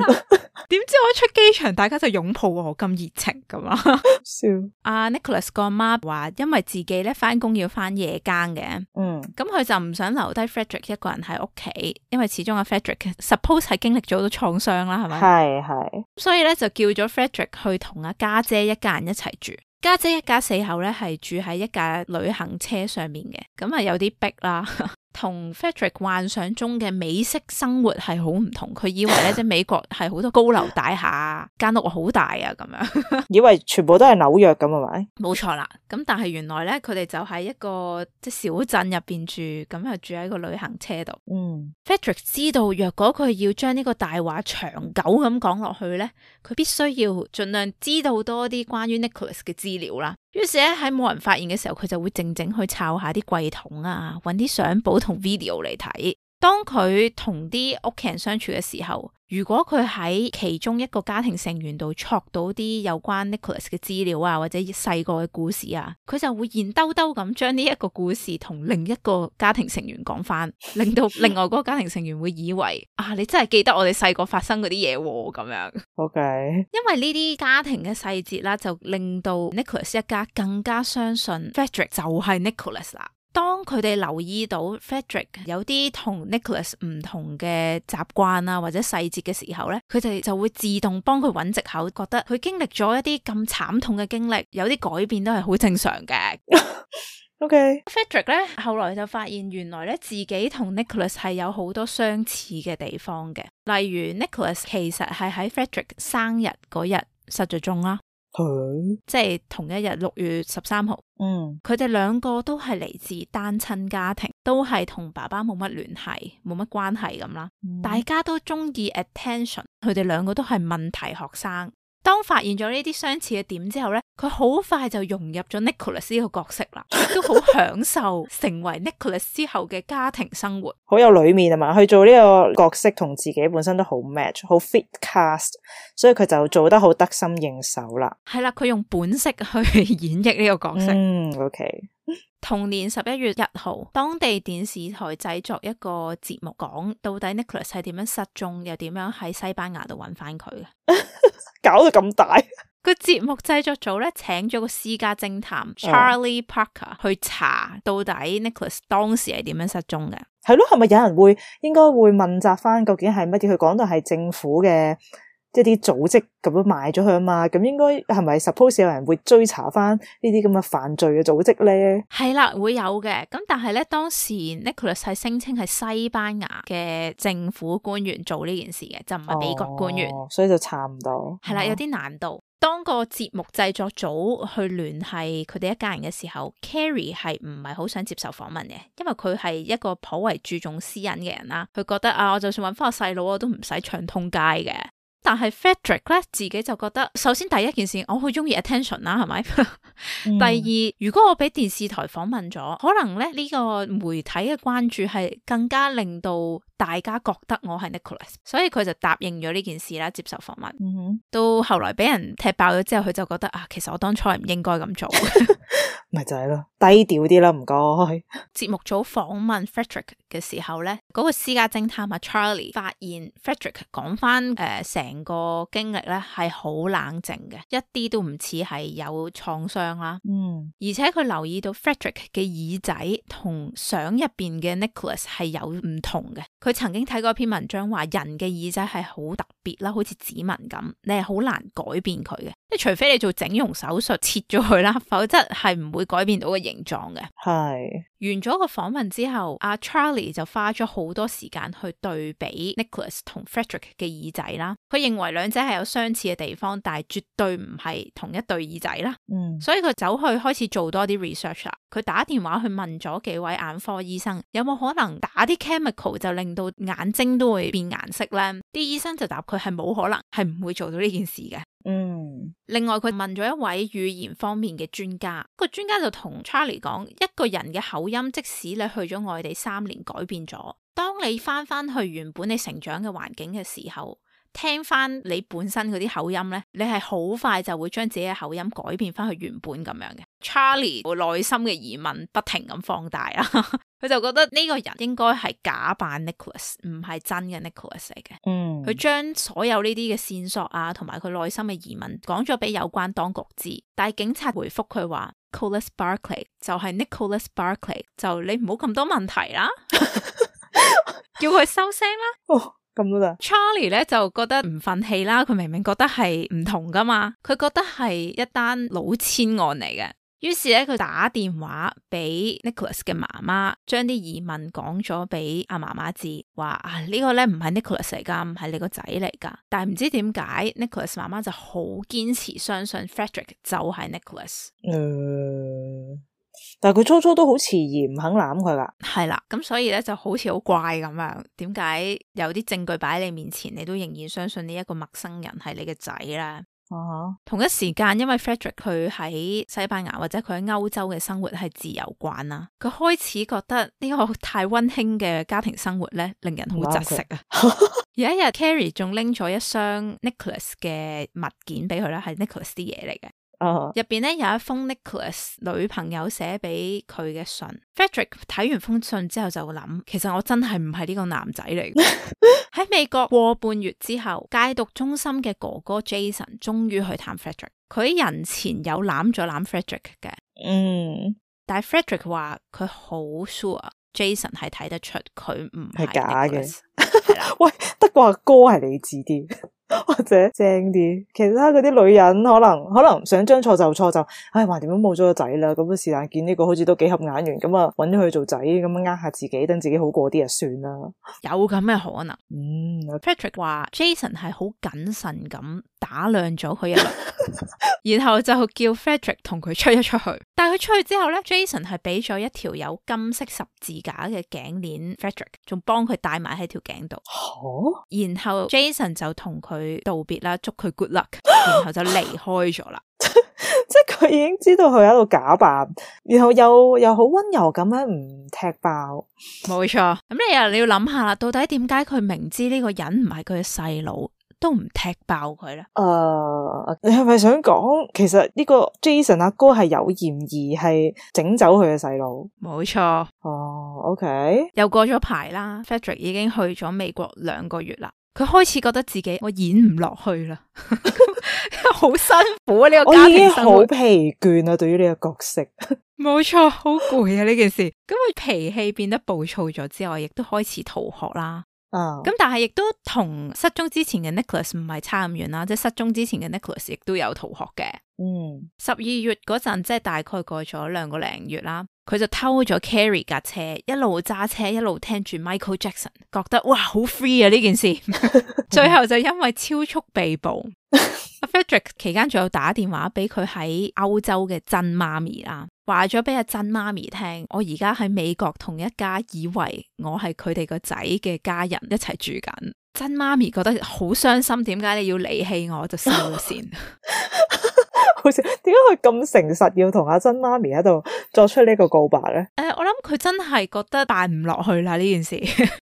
點知我一出機場，大家就擁抱我咁熱情咁啊！笑。阿 Nicholas 個阿媽話，因為自己咧翻工要翻夜更嘅，嗯，咁佢就唔想留低 Frederick 一個人喺屋企，因為始終阿 Frederick suppose 係經歷咗好多創傷啦，係咪？係係。所以咧就叫咗 Frederick 去同阿家姐一家人一齊住。家姐一家四口咧係住喺一架旅行車上面嘅，咁啊有啲逼啦。同 Frederick 幻想中嘅美式生活係好唔同，佢以為咧即係美國係好多高樓大廈，間屋好大啊咁樣，以為全部都係紐約咁係咪？冇錯啦，咁但係原來咧佢哋就喺一個即係小鎮入邊住，咁啊住喺個旅行車度。嗯 ，Frederick 知道若果佢要將呢個大話長久咁講落去咧，佢必須要盡量知道多啲關於 Nicholas 嘅資料啦。於是咧喺冇人發現嘅時候，佢就會靜靜去抄下啲櫃桶啊，搵啲相簿同 video 嚟睇。當佢同啲屋企人相處嘅時候，如果佢喺其中一個家庭成員度戳到啲有關 Nicholas 嘅資料啊，或者細個嘅故事啊，佢就會現兜兜咁將呢一個故事同另一個家庭成員講翻，令到另外嗰個家庭成員會以為啊，你真係記得我哋細個發生嗰啲嘢咁樣。OK， 因為呢啲家庭嘅細節啦，就令到 Nicholas 一家更加相信 Frederick 就係 Nicholas 啦。當佢哋留意到 Frederick 有啲同 Nicholas 唔同嘅習慣啊或者細節嘅時候咧，佢哋就會自動幫佢揾藉口，覺得佢經歷咗一啲咁慘痛嘅經歷，有啲改變都係好正常嘅。OK， Frederick 咧後來就發現原來咧自己同 Nicholas 係有好多相似嘅地方嘅，例如 Nicholas 其實係喺 Frederick 生日嗰日失咗蹤啦。佢即係同一日六月十三號，嗯，佢哋兩個都係嚟自單親家庭，都係同爸爸冇乜聯繫，冇乜關係咁啦。嗯大家都中意 attention，佢哋兩個都係問題學生。當發現咗呢啲相似嘅點之後呢，佢好快就融入咗 Nicholas 呢個角色啦，都好享受成為 Nicholas 之後嘅家庭生活，好有裏面啊嘛，佢做呢個角色同自己本身都好 match， 好 fit cast， 所以佢就做得好得心應手啦。係啦，佢用本色去演繹呢個角色。嗯 OK。同年十一月一號，當地電視台製作一個節目，講到底 Nicholas 係點樣失蹤，又點樣喺西班牙度揾翻佢嘅。搞到咁大，個節目製作組咧請咗個私家偵探 Charlie Parker 去查到底 Nicholas 當時係點樣失蹤嘅。係咯，係咪有人會應該會問責翻究竟係乜嘢？佢講到係政府嘅即係啲組織咁樣賣咗佢啊嘛，咁應該係咪 suppose 有人會追查翻呢啲咁嘅犯罪嘅組織咧？係啦，會有嘅。咁但係咧，當時 Nicholas 係聲稱係西班牙嘅政府官員做呢件事嘅，就唔係美國官員，哦，所以就查唔到。係啦，有啲難度。當個節目製作組去聯繫佢哋一家人嘅時候 Carrie 係唔係好想接受訪問嘅，因為佢係一個頗為注重私隱嘅人啦。佢覺得啊，我就算搵翻個細佬，我都唔使唱通街嘅。但係 Frederick 咧自己就覺得，首先第一件事我好中意 attention 啦，係咪？嗯、第二，如果我俾電視台訪問咗，可能咧呢個媒體嘅關注係更加令到大家覺得我係 Nicholas， 所以佢就答應咗呢件事啦，接受訪問。嗯哼，到後來俾人踢爆咗之後，佢就覺得啊，其實我當初係唔應該咁做。咪就係咯，低調啲啦，唔該。節目組訪問 Frederick 嘅時候咧，嗰、那個私家偵探啊 Charlie 發現 Frederick 講翻誒成個經歷咧係好冷靜嘅，一啲都唔似係有創傷啦。嗯，而且佢留意到 Frederick 嘅耳仔同相入邊嘅 Nicholas 係有唔同嘅。佢曾經睇過一篇文章話，人嘅耳仔係好特別啦，好似指紋咁，你係好難改變佢嘅，即係除非你做整容手術切咗佢啦，否則係唔會改變到個形狀嘅。係完咗個訪問之後，阿 Charlie 就花咗好多時間去對比 Nicholas 同 Frederick 嘅耳仔啦。佢認為兩者係有相似嘅地方，但係絕對唔係同一對耳仔啦。嗯，所以佢走去開始做多啲 research 啦。佢打電話去問咗幾位眼科醫生，有冇可能打啲 chemical 就令到眼睛都會變顏色呢？啲醫生就答佢係冇可能，係唔會做到呢件事嘅。嗯，另外佢問咗一位語言方面嘅專家，個專家就同 Charlie 講，一個人嘅口音即使你去咗外地三年改變咗，當你翻翻去原本你成長嘅環境嘅時候，聽翻你本身嗰啲口音呢，你係好快就會將自己嘅口音改變翻去原本咁樣嘅。Charlie 內心嘅疑問不停咁放大啊，佢就覺得呢個人應該係假扮 Nicholas， 唔係真嘅 Nicholas 嚟嘅。嗯，佢將所有呢啲嘅線索啊，同埋佢內心嘅疑問講咗俾有關當局知，但係警察回覆佢話 Nicholas Barclay 就係 Nicholas Barclay， 就你唔好咁多問題啦，叫佢收聲啦。哦，咁都得。Charlie 咧就覺得唔忿氣啦，佢明明覺得係唔同噶嘛，佢覺得係一單老千案嚟嘅。於是咧，佢打電話俾 Nicholas 嘅媽媽，將啲疑問講咗俾阿媽媽知，話啊、這個、呢個咧唔係 Nicholas 嚟噶，唔係你個仔嚟噶。但係唔知點解 Nicholas 媽媽就好堅持相信 Frederick 就係 Nicholas。嗯，但係佢初初都好遲疑，唔肯攬佢噶。係啦，咁所以咧就好似好怪咁樣。點解有啲證據擺喺你面前，你都仍然相信呢一個陌生人係你嘅仔咧？Uh-huh. 同一時間，因為 Frederick 佢喺西班牙或者佢喺歐洲嘅生活係自由慣啦，佢開始覺得呢個太溫馨嘅家庭生活咧，令人好窒息啊！有一日 Carrie 仲拎咗一箱 Nicholas 嘅物件俾佢啦，係 Nicholas 啲嘢嚟嘅。Uh-huh. 入邊咧有一封 Nicholas 女朋友寫俾佢嘅信。Frederick 睇完封信之後就諗，其實我真係唔係呢個男仔嚟。喺美國過半月之後，戒毒中心嘅哥哥 Jason 終於去探 Frederick。佢喺人前有攬咗攬 Frederick 嘅，嗯，但係 Frederick 話佢好 sure Jason 係睇得出佢唔係假嘅。係啦，喂，得個阿哥係理智啲。或者正啲，其他嗰啲女人可能可能想將錯就錯就，唉，話點都冇咗個仔啦，咁啊是但見呢個好似都幾合眼緣，咁啊揾咗佢做仔，咁樣呃下自己，等自己好過啲就算啦。有咁嘅可能。嗯 Patrick 話 Jason 係好謹慎咁打量咗佢一輪，然後就叫 Frederick 同佢出一出去。但係佢出去之後咧 ，Jason 係俾咗一條有金色十字架嘅頸鏈 Frederick， 仲幫佢戴埋喺條頸度。哦，然後 Jason 就同佢道別啦，祝佢 good luck， 然後就離開咗啦。即係佢已經知道佢喺度假扮，然後又又好溫柔咁樣唔踢爆。冇錯，咁你又你要諗下啦，到底點解佢明知呢個人唔係佢嘅細佬，都唔踢爆佢咧？誒、uh, 你係咪想講，其實呢個 Jason 阿哥係有嫌疑係整走佢嘅細佬？冇錯。哦、uh, ，OK，又過咗排啦 ，Frederick 已經去咗美國兩個月啦。佢開始覺得自己我演唔落去啦，好辛苦啊！呢、這個家庭生活，我已經好疲倦啊，對於呢個角色。冇錯，好攰啊呢件事。咁佢脾氣變得暴躁咗之後，亦都開始逃學啦。啊，咁但係亦都同失蹤之前嘅 Nicholas 唔係差咁遠啦，即係失蹤之前嘅 Nicholas 亦都有逃學嘅。嗯，十二月嗰陣，即係大概過咗兩個零月啦，佢就偷咗 Carrie 架車，一路揸車一路聽住 Michael Jackson， 覺得哇好 free 啊呢件事，最後就因為超速被捕。Frederick 期間仲有打電話俾佢喺歐洲嘅真媽咪啦，話咗俾阿真媽咪聽，我而家喺美國同一家以為我係佢哋個仔嘅家人一齊住緊。真媽咪覺得好傷心，點解你要離棄我？就收線。好似點解佢咁誠實要同阿真媽咪喺度作出呢個告白咧？誒、呃，我諗佢真係覺得辦唔落去啦呢件事，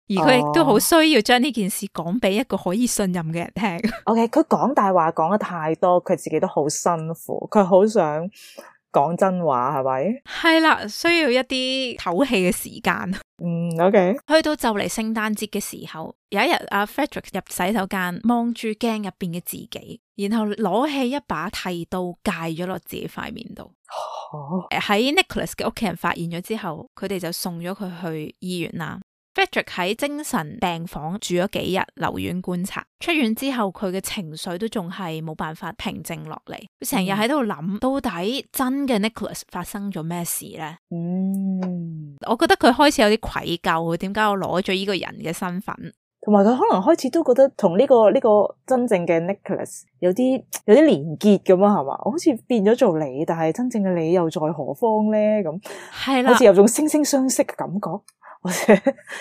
而佢亦都好需要將呢件事講俾一個可以信任嘅人聽。OK，佢講大話講得太多，佢自己都好辛苦，佢好想講真話，係咪？係啦，需要一啲唞氣嘅時間。嗯 ，OK。去到就嚟聖誕節嘅時候，有一日阿 Frederick 入洗手間，望住鏡入邊嘅自己，然後攞起一把剃刀戒咗落自己塊面度。喺、哦、Nicholas 嘅屋企人發現咗之後，佢哋就送咗佢去醫院啦。Frederick 喺精神病房住咗幾日，留院觀察。出院之後，佢嘅情緒都仲係冇辦法平靜落嚟。佢成日喺度諗，嗯、到底真嘅 Nicholas 發生咗咩事呢？嗯，我覺得佢開始有啲愧疚，點解我攞咗呢個人嘅身份？同埋佢可能開始都覺得同呢個呢個真正嘅 Nicholas 有啲有啲連結咁啊，係嘛？好似變咗做你，但係真正嘅你又在何方呢？咁係啦，好似有種惺惺相惜嘅感覺。或者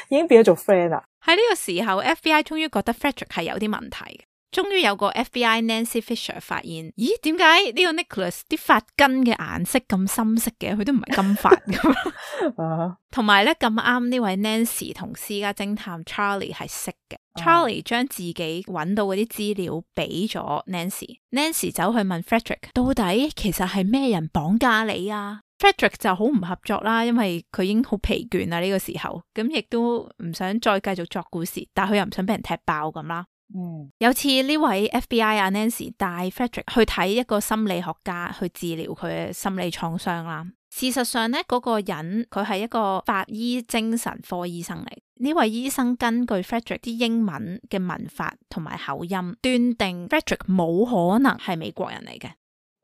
已經變咗做 friend 啦。喺呢個時候 F B I 終於覺得 Frederick 係有啲問題嘅，終於有個 F B I Nancy Fisher 發現，咦，點解呢個 Nicholas 啲髮根嘅顏色咁深色嘅？佢都唔係金髮咁。同埋咧，咁啱呢位 Nancy 同私家偵探 Charlie 係識嘅。Charlie 將自己揾到嗰啲資料俾咗 Nancy，Nancy 走去問 Frederick 到底其實係咩人綁架你啊？Frederick 就好唔合作啦，因為佢已經好疲倦啦呢個時候，咁亦都唔想再繼續作故事，但係佢又唔想俾人踢爆咁啦。嗯，有次呢位 F B I 阿 Nancy 帶 Frederick 去睇一個心理學家去治療佢嘅心理創傷啦。事實上呢，嗰個人佢係一個法醫精神科醫生嚟。呢位醫生根據 Frederick 啲英文嘅文法同埋口音，斷定 Frederick 冇可能係美國人嚟嘅。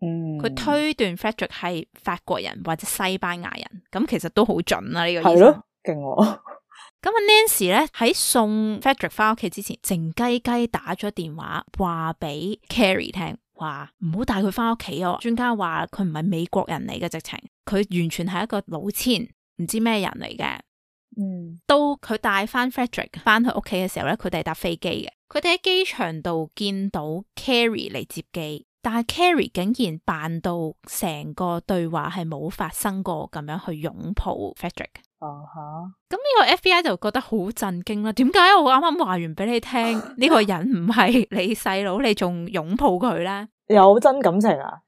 嗯，佢推斷 Frederick 係法國人或者西班牙人，咁其實都好準啦呢、這個醫生。係咯，勁喎。咁啊 Nancy 咧喺送 Frederick 翻屋企之前，靜雞雞打咗電話話俾 Carrie 聽，話唔好帶佢翻屋企哦。專家話佢唔係美國人嚟嘅，直情佢完全係一個老千，唔知咩人嚟嘅。嗯，到佢帶翻 Frederick 翻去屋企嘅時候咧，佢哋係搭飛機嘅。佢哋喺機場度見到 Carrie 嚟接機。但係 Carrie 竟然扮到成個對話係冇發生過咁樣去擁抱 Frederick。哦吓，咁呢個 F B I 就覺得好震驚啦。點解我啱啱話完俾你聽呢個人唔係你細佬，你仲擁抱佢咧？有真感情啊？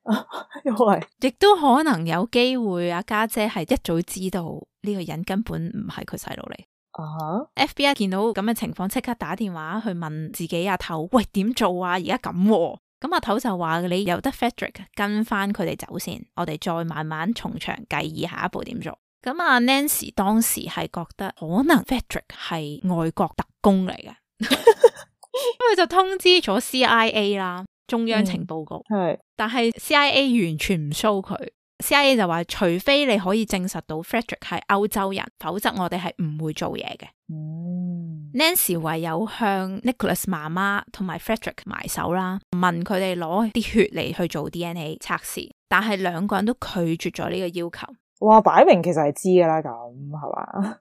因為亦都可能有機會阿家姐係一早知道呢個人根本唔係佢細佬嚟。啊、uh-huh. F B I 見到咁嘅情況，即刻打電話去問自己阿頭，喂，點做啊？而家咁喎。咁阿頭就話你由得 Frederick 跟翻佢哋走先，我哋再慢慢從長計議下一步點做。咁阿 Nancy 當時係覺得可能 Frederick 係外國特工嚟嘅。佢就通知咗 C I A 啦，中央情報局，係、嗯，但係 C I A 完全唔 show 佢。C I A 就話，除非你可以證實到 Frederick 係歐洲人，否則我哋係唔會做嘢嘅。嗯、Nancy 唯有向 Nicholas 媽媽同埋 Frederick 埋手啦，問佢哋攞啲血嚟去做 D N A 測試，但係兩個人都拒絕咗呢個要求。哇，擺明其實係知噶啦，咁係嘛？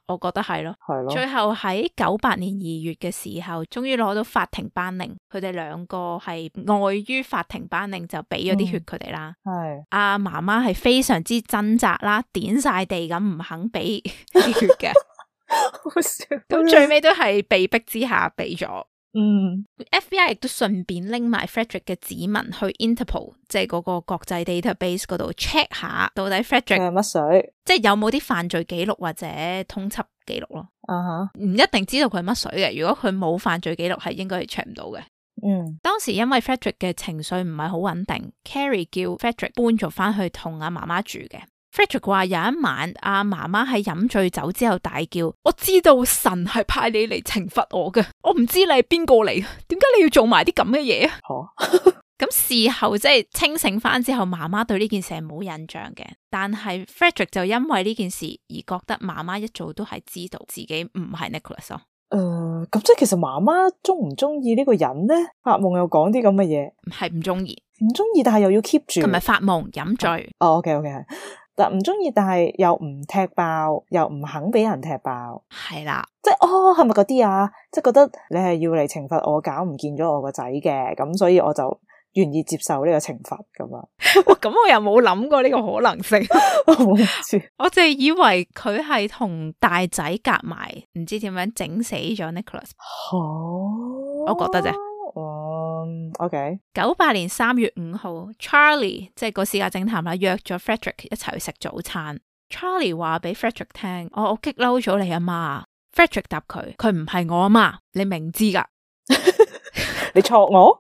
我覺得係咯，係咯。最後喺九八年二月嘅時候，終於攞到法庭頒令，佢哋兩個係礙於法庭頒令就俾咗啲血佢哋啦。係阿媽媽係非常之掙扎啦，點晒地咁唔肯俾啲血嘅，好笑。咁最尾都係被逼之下俾咗。嗯 ，F B I 亦都順便拎埋 Frederick 嘅指紋去 Interpol， 即係嗰個國際 database 嗰度 check 下，到底 Frederick 係乜水，即係有冇啲犯罪記錄或者通緝記錄咯。啊哈，唔一定知道佢係乜水嘅。如果佢冇犯罪記錄，係應該係 check 唔到嘅。嗯，當時因為 Frederick 嘅情緒唔係好穩定 ，Carrie 叫 Frederick 搬咗翻去同阿媽媽住嘅。Frederick 話有一晚阿媽媽喺飲醉酒之後大叫，我知道神係派你嚟懲罰我嘅，我唔知你係邊個嚟，點解你要做埋啲咁嘅嘢啊？咁事後即係清醒翻之後，媽媽對呢件事係冇印象嘅，但係 Frederick 就因為呢件事而覺得媽媽一早都係知道自己唔係 Nicholas 咯。誒、呃，咁即係其實媽媽中唔中意呢個人呢？發夢又講啲咁嘅嘢，係唔中意，唔中意，但係又要 keep 住，同埋發夢飲醉。哦 ，OK OK 係。但唔中意，但係又唔踢爆，又唔肯俾人踢爆，係啦，即係哦，係咪嗰啲啊？即係覺得你係要嚟懲罰我，搞唔見咗我個仔嘅，咁所以我就願意接受呢個懲罰咁啊。咁我又冇諗過呢個可能性，我唔知，我淨係以為佢係同大仔夾埋，唔知點樣整死咗 Nicholas。哦，我覺得啫。嗯 ，OK。九八年三月五號 ，Charlie 即係個私家偵探啦，約咗 Frederick 一齊去食早餐。Charlie 話俾 Frederick 聽：我我激嬲咗你阿媽。Frederick 答佢：佢唔係我阿媽，你明知噶。你錯我，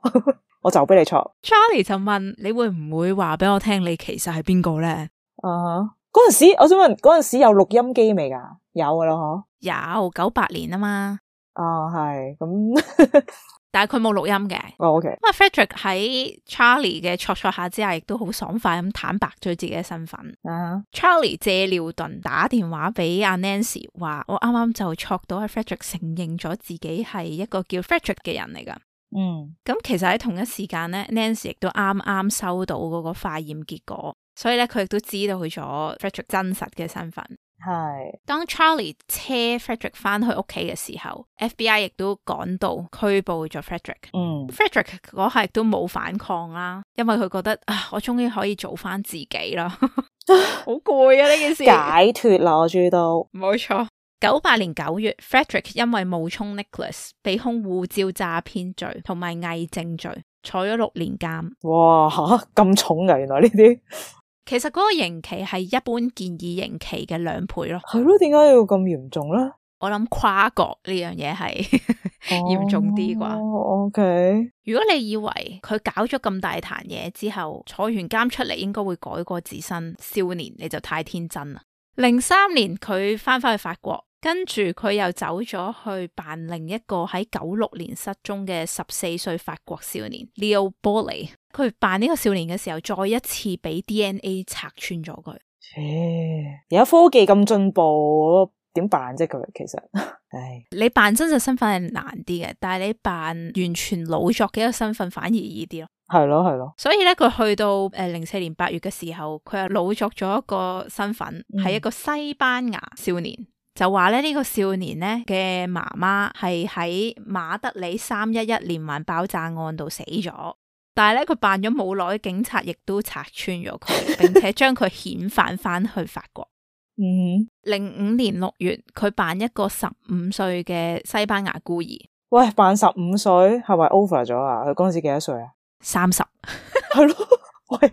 我就俾你錯。Charlie 就問：你會唔會話俾我聽你其實係邊個咧？啊，嗰陣時我想問，嗰陣時有錄音機未噶？有噶啦，嗬。有，九八年啊嘛。哦，係咁。但係佢冇錄音嘅。哦 ，OK。咁啊 ，Frederick 喺 Charlie 嘅戳戳下之下，亦都好爽快咁坦白咗自己嘅身份。Uh-huh. Charlie 借尿遁打電話俾阿 Nancy 話：我啱啱就戳到阿 Frederick 承認咗自己係一個叫 Frederick 嘅人嚟噶。嗯。咁其實喺同一時間咧 ，Nancy 亦都啱啱收到嗰個化驗結果，所以咧佢亦都知道咗 Frederick 真實嘅身份。係，當 Charlie 車 Frederick 翻去屋企嘅時候 ，F B I 亦都趕到拘捕咗 Frederick。嗯 ，Frederick 嗰下亦都冇反抗啦，因為佢覺得啊，我終於可以做翻自己啦，好攰啊呢件事，解脫啦，我終於都冇錯。九八年九月 ，Frederick 因為冒充 Nicholas 被控護照詐騙罪同埋偽證罪，坐咗六年監。哇，吓咁重噶，原來呢啲。其實嗰個刑期係一般建議刑期嘅兩倍咯。係咯，點解要咁嚴重咧？我諗跨國呢樣嘢係嚴重啲啩。哦，OK。如果你以為佢搞咗咁大壇嘢之後，坐完監出嚟應該會改過自新少年，你就太天真啦。零三年佢翻返去法國，跟住佢又走咗去扮另一個喺九六年失蹤嘅十四歲法國少年 Leo Bollée。佢扮呢個少年嘅時候，再一次俾 D N A 拆穿咗佢。而家科技咁進步，點扮啫佢？其實，唉，你扮真實身份係難啲嘅，但係你扮完全老作嘅一個身份反而易啲咯。係咯係咯。所以咧，佢去到誒零四年八月嘅時候，佢又老作咗一個身份，係、嗯、一個西班牙少年。就話咧呢、這個少年咧嘅媽媽係喺馬德里三一一連環爆炸案度死咗。但係咧，佢扮咗冇耐，警察亦都拆穿咗佢，並且將佢遣返翻去法國。嗯，零五年六月，佢扮一個十五歲嘅西班牙孤兒。喂，扮十五歲係咪 over 咗啊？佢嗰陣時幾多歲啊？三十，係咯。喂，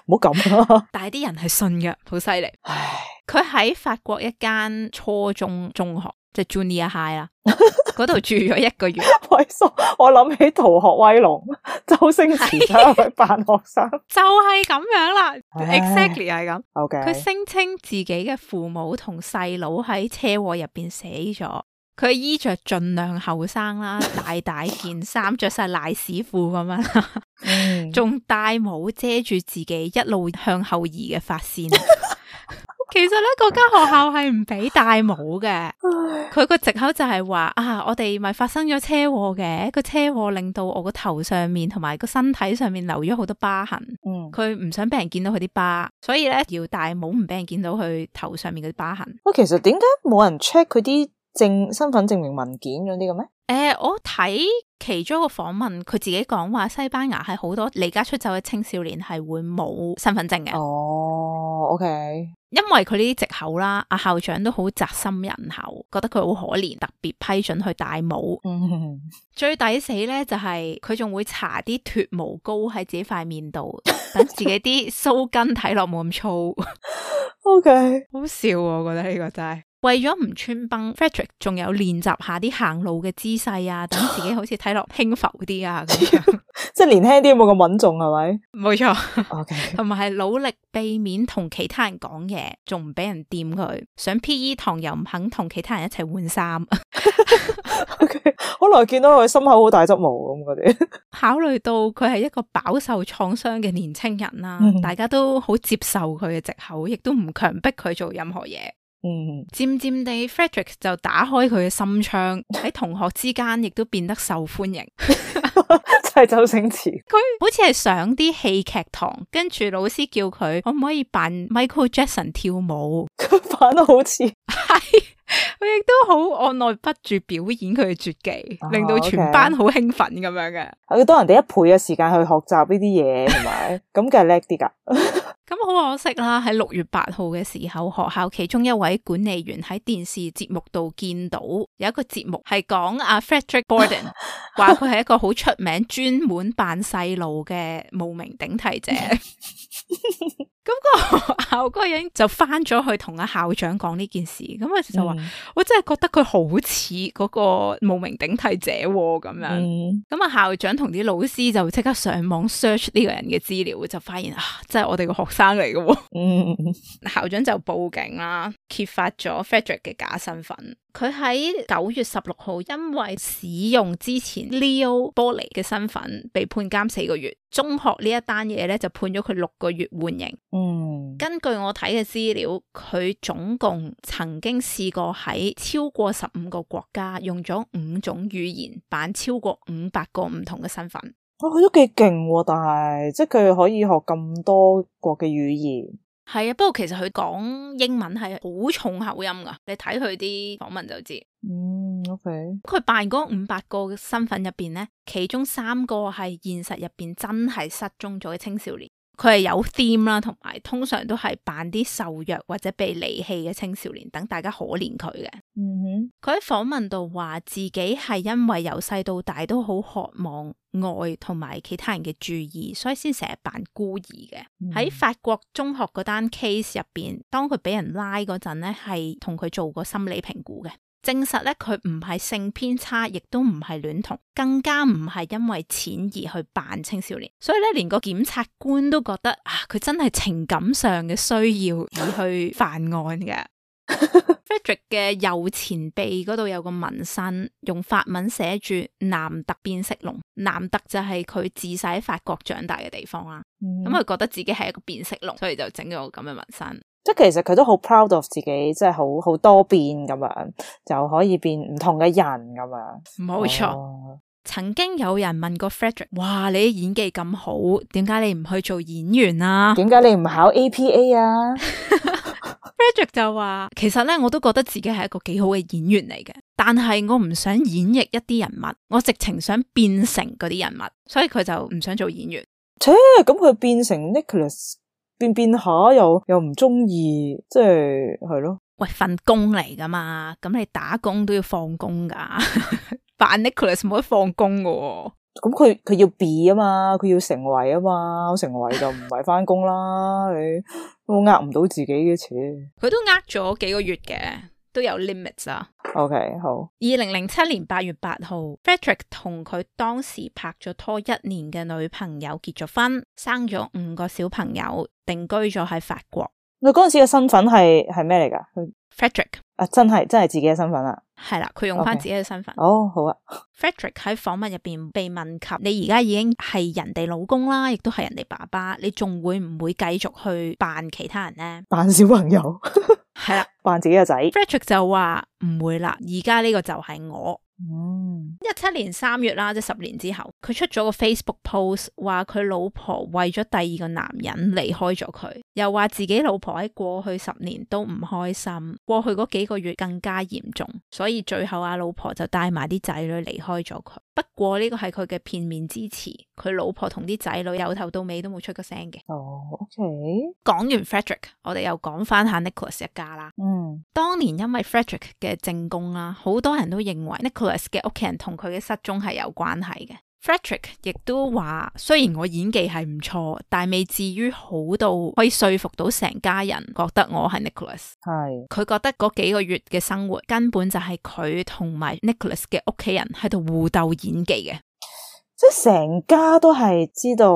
唔好咁啊！但係啲人係信嘅，好犀利。唉，佢喺法國一間初中中學。即係 Junior High 啦，嗰度住咗一個月。喂，我諗起《逃學威龍》，周星馳走去扮學生，就係咁樣啦。Exactly 係咁。OK，佢聲稱自己嘅父母同細佬喺車禍入邊死咗，佢衣着盡量後生啦，大大件衫，着晒賴屎褲咁樣，仲戴帽遮住自己一路向後移嘅髮線。其實咧，嗰間學校係唔俾戴帽嘅。佢個藉口就係話啊，我哋咪發生咗車禍嘅，個車禍令到我個頭上面同埋個身體上面留咗好多疤痕。嗯，佢唔想俾人見到佢啲疤，所以咧要戴帽，唔俾人見到佢頭上面嗰啲疤痕。喂，其實點解冇人 check 佢啲證身份證明文件嗰啲嘅咩？誒、呃，我睇其中一個訪問，佢自己講話西班牙係好多離家出走嘅青少年係會冇身份證嘅。哦，OK。因為佢呢啲藉口啦，阿校長都好宅心仁厚，覺得佢好可憐，特別批准去戴帽。嗯、最抵死咧就係佢仲會搽啲脫毛膏喺自己塊面度，等自己啲鬚根睇落冇咁粗。OK，好笑啊！我覺得呢個真係。為咗唔穿崩 Frederick 仲有練習下啲行路嘅姿勢啊，等自己好似睇落輕浮啲啊咁樣。即係年輕啲冇咁穩重係咪？冇錯。OK，同埋係努力避免同其他人講嘢，仲唔俾人掂佢。上 P E 堂又唔肯同其他人一齊換衫。OK， 可能見到佢心口好大執毛咁嗰啲。考慮到佢係一個飽受創傷嘅年青人啦，嗯、大家都好接受佢嘅藉口，亦都唔強迫佢做任何嘢。嗯，漸漸地 Frederick 就打開佢嘅心窗，喺同學之間亦都變得受歡迎。就係周星馳，佢好似係上啲戲劇堂，跟住老師叫佢可唔可以扮 Michael Jackson 跳舞，佢扮得好似係，佢亦都好按捺不住表演佢嘅絕技，哦、令到全班好興奮咁樣嘅。佢多人哋一倍嘅時間去學習呢啲嘢，同埋咁梗係叻啲噶。咁好可惜啦！喺六月八號嘅時候，學校其中一位管理員喺電視節目度見到有一個節目係講阿 Frederick Borden，話佢係一個好出名專門扮細路嘅冒名頂替者。咁個學校嗰個人就翻咗去同阿校長講呢件事，咁佢就話、嗯、我真係覺得佢好似嗰個冒名頂替者咁樣。咁啊、嗯、校長同啲老師就即刻上網 search 呢個人嘅資料，就發現啊，真係我哋個學生嚟嘅。嗯，校長就報警啦，揭發咗 Frederick 嘅假身份。佢喺九月十六號因為使用之前 Leo Boley 嘅身份被判監四個月。中學呢一單嘢咧就判咗佢六個月緩刑。嗯，根據我睇嘅資料，佢總共曾經試過喺超過十五個國家用咗五種語言扮超過五百個唔同嘅身份。哦，佢都幾勁，但係即係佢可以學咁多國嘅語言。係啊，不過其實佢講英文係好重口音噶，你睇佢啲訪問就知。嗯 ，OK。佢扮嗰五百個嘅身份入邊咧，其中三個係現實入邊真係失蹤咗嘅青少年。佢係有 theme 啦，同埋通常都係扮啲受虐或者被離棄嘅青少年，等大家可憐佢嘅。嗯哼，佢喺訪問度話自己係因為由細到大都好渴望愛同埋其他人嘅注意，所以先成日扮孤兒嘅。喺、嗯、法國中學嗰單 case 入邊，當佢俾人拉嗰陣咧，係同佢做過心理評估嘅。證實咧，佢唔係性偏差，亦都唔係戀童，更加唔係因為錢而去扮青少年。所以咧，連個檢察官都覺得啊，佢真係情感上嘅需要而去犯案嘅。Frederick 嘅右前臂嗰度有個紋身，用法文寫住南特變色龍。南特就係佢自細喺法國長大嘅地方啦。咁佢、嗯、覺得自己係一個變色龍，所以就整咗個咁嘅紋身。即係其實佢都好 proud of 自己，即係好好多變咁樣，就可以變唔同嘅人咁樣。冇錯。哦、曾經有人問過 Frederick， 哇，你啲演技咁好，點解你唔去做演員啊？點解你唔考 A P A 啊？Frederick 就話，其實咧我都覺得自己係一個幾好嘅演員嚟嘅，但係我唔想演繹一啲人物，我直情想變成嗰啲人物，所以佢就唔想做演員。切，咁佢變成 Nicholas。變變下又又唔中意，即係係咯。喂，份工嚟噶嘛，咁你打工都要放工噶，扮 Nicholas 冇得放工噶。咁佢佢要 be 啊嘛，佢要成為啊嘛，成為就唔係翻工啦。你都呃唔到自己嘅錢。佢都呃咗幾個月嘅，都有 limits 啊。OK， 好。二零零七年八月八號 Frederick 同佢當時拍咗拖一年嘅女朋友結咗婚，生咗五個小朋友，定居咗喺法國。佢嗰陣時嘅身份係係咩嚟㗎？佢 Frederick 啊，真係真係自己嘅身份啦。係啦，佢用翻自己嘅身份。哦，好啊。Frederick 喺訪問入邊被問及，你而家已經係人哋老公啦，亦都係人哋爸爸，你仲會唔會繼續去扮其他人呢？扮小朋友係啦，扮自己嘅仔。Frederick 就話唔會啦，而家呢個就係我。嗯，一七年三月啦，即係十年之後，佢出咗個 Facebook post，話佢老婆為咗第二個男人離開咗佢，又話自己老婆喺過去十年都唔開心，過去嗰幾個月更加嚴重，所以最後阿老婆就帶埋啲仔女離開咗佢。不過呢個係佢嘅片面之詞，佢老婆同啲仔女由頭到尾都冇出個聲嘅。哦 ，OK。講完 Frederick，我哋又講翻下 Nicholas 一家啦。嗯，當年因為 Frederick 嘅證供啦，好多人都認為 Nicholas 嘅屋企人同佢嘅失蹤係有關係嘅。Frederick 亦都話，雖然我演技係唔錯，但未至於好到可以說服到成家人覺得我係 Nicholas。係。佢覺得嗰幾個月嘅生活根本就係佢同埋 Nicholas 嘅屋企人喺度互鬥演技嘅，即係成家都係知道，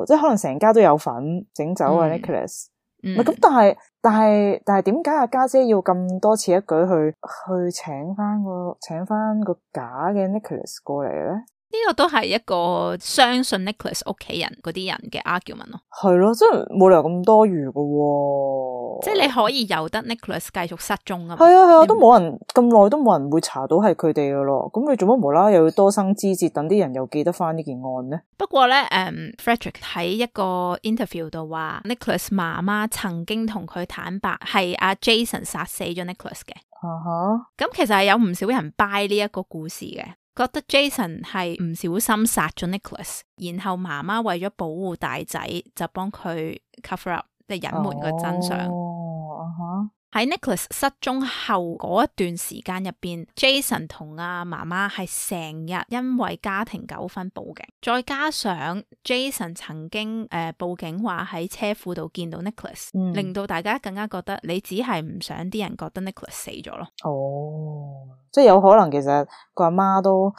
即係可能成家都有份整走啊 Nicholas。唔係咁，但係但係但係點解阿家姐要咁多此一舉去去請翻個請翻個假嘅 Nicholas 過嚟咧？呢個都係一個相信 Nicholas 屋企人嗰啲人嘅 argument 咯。係咯，真係冇理由咁多餘噶喎。即係你可以由得 Nicholas 繼續失蹤啊嘛。係啊係啊，都冇人咁耐都冇人會查到係佢哋噶咯。咁你做乜無啦啦又要多生枝節，等啲人又記得翻呢件案呢？不過咧，誒、um, Frederick 喺一個 interview 度話 Nicholas 媽媽曾經同佢坦白係阿 Jason 殺死咗 Nicholas 嘅。啊哈。咁其實係有唔少人 buy 呢一個故事嘅。覺得 Jason 係唔小心殺咗 Nicholas， 然後媽媽為咗保護大仔就幫佢 cover up， 即係隱瞞個真相。哦，哈。喺 Nicholas 失蹤後嗰一段時間入邊 Jason 同阿媽媽係成日因為家庭糾紛報警，再加上 Jason 曾經誒、呃、報警話喺車庫度見到 Nicholas，嗯、令到大家更加覺得你只係唔想啲人覺得 Nicholas 死咗咯。哦，即係有可能其實個阿媽都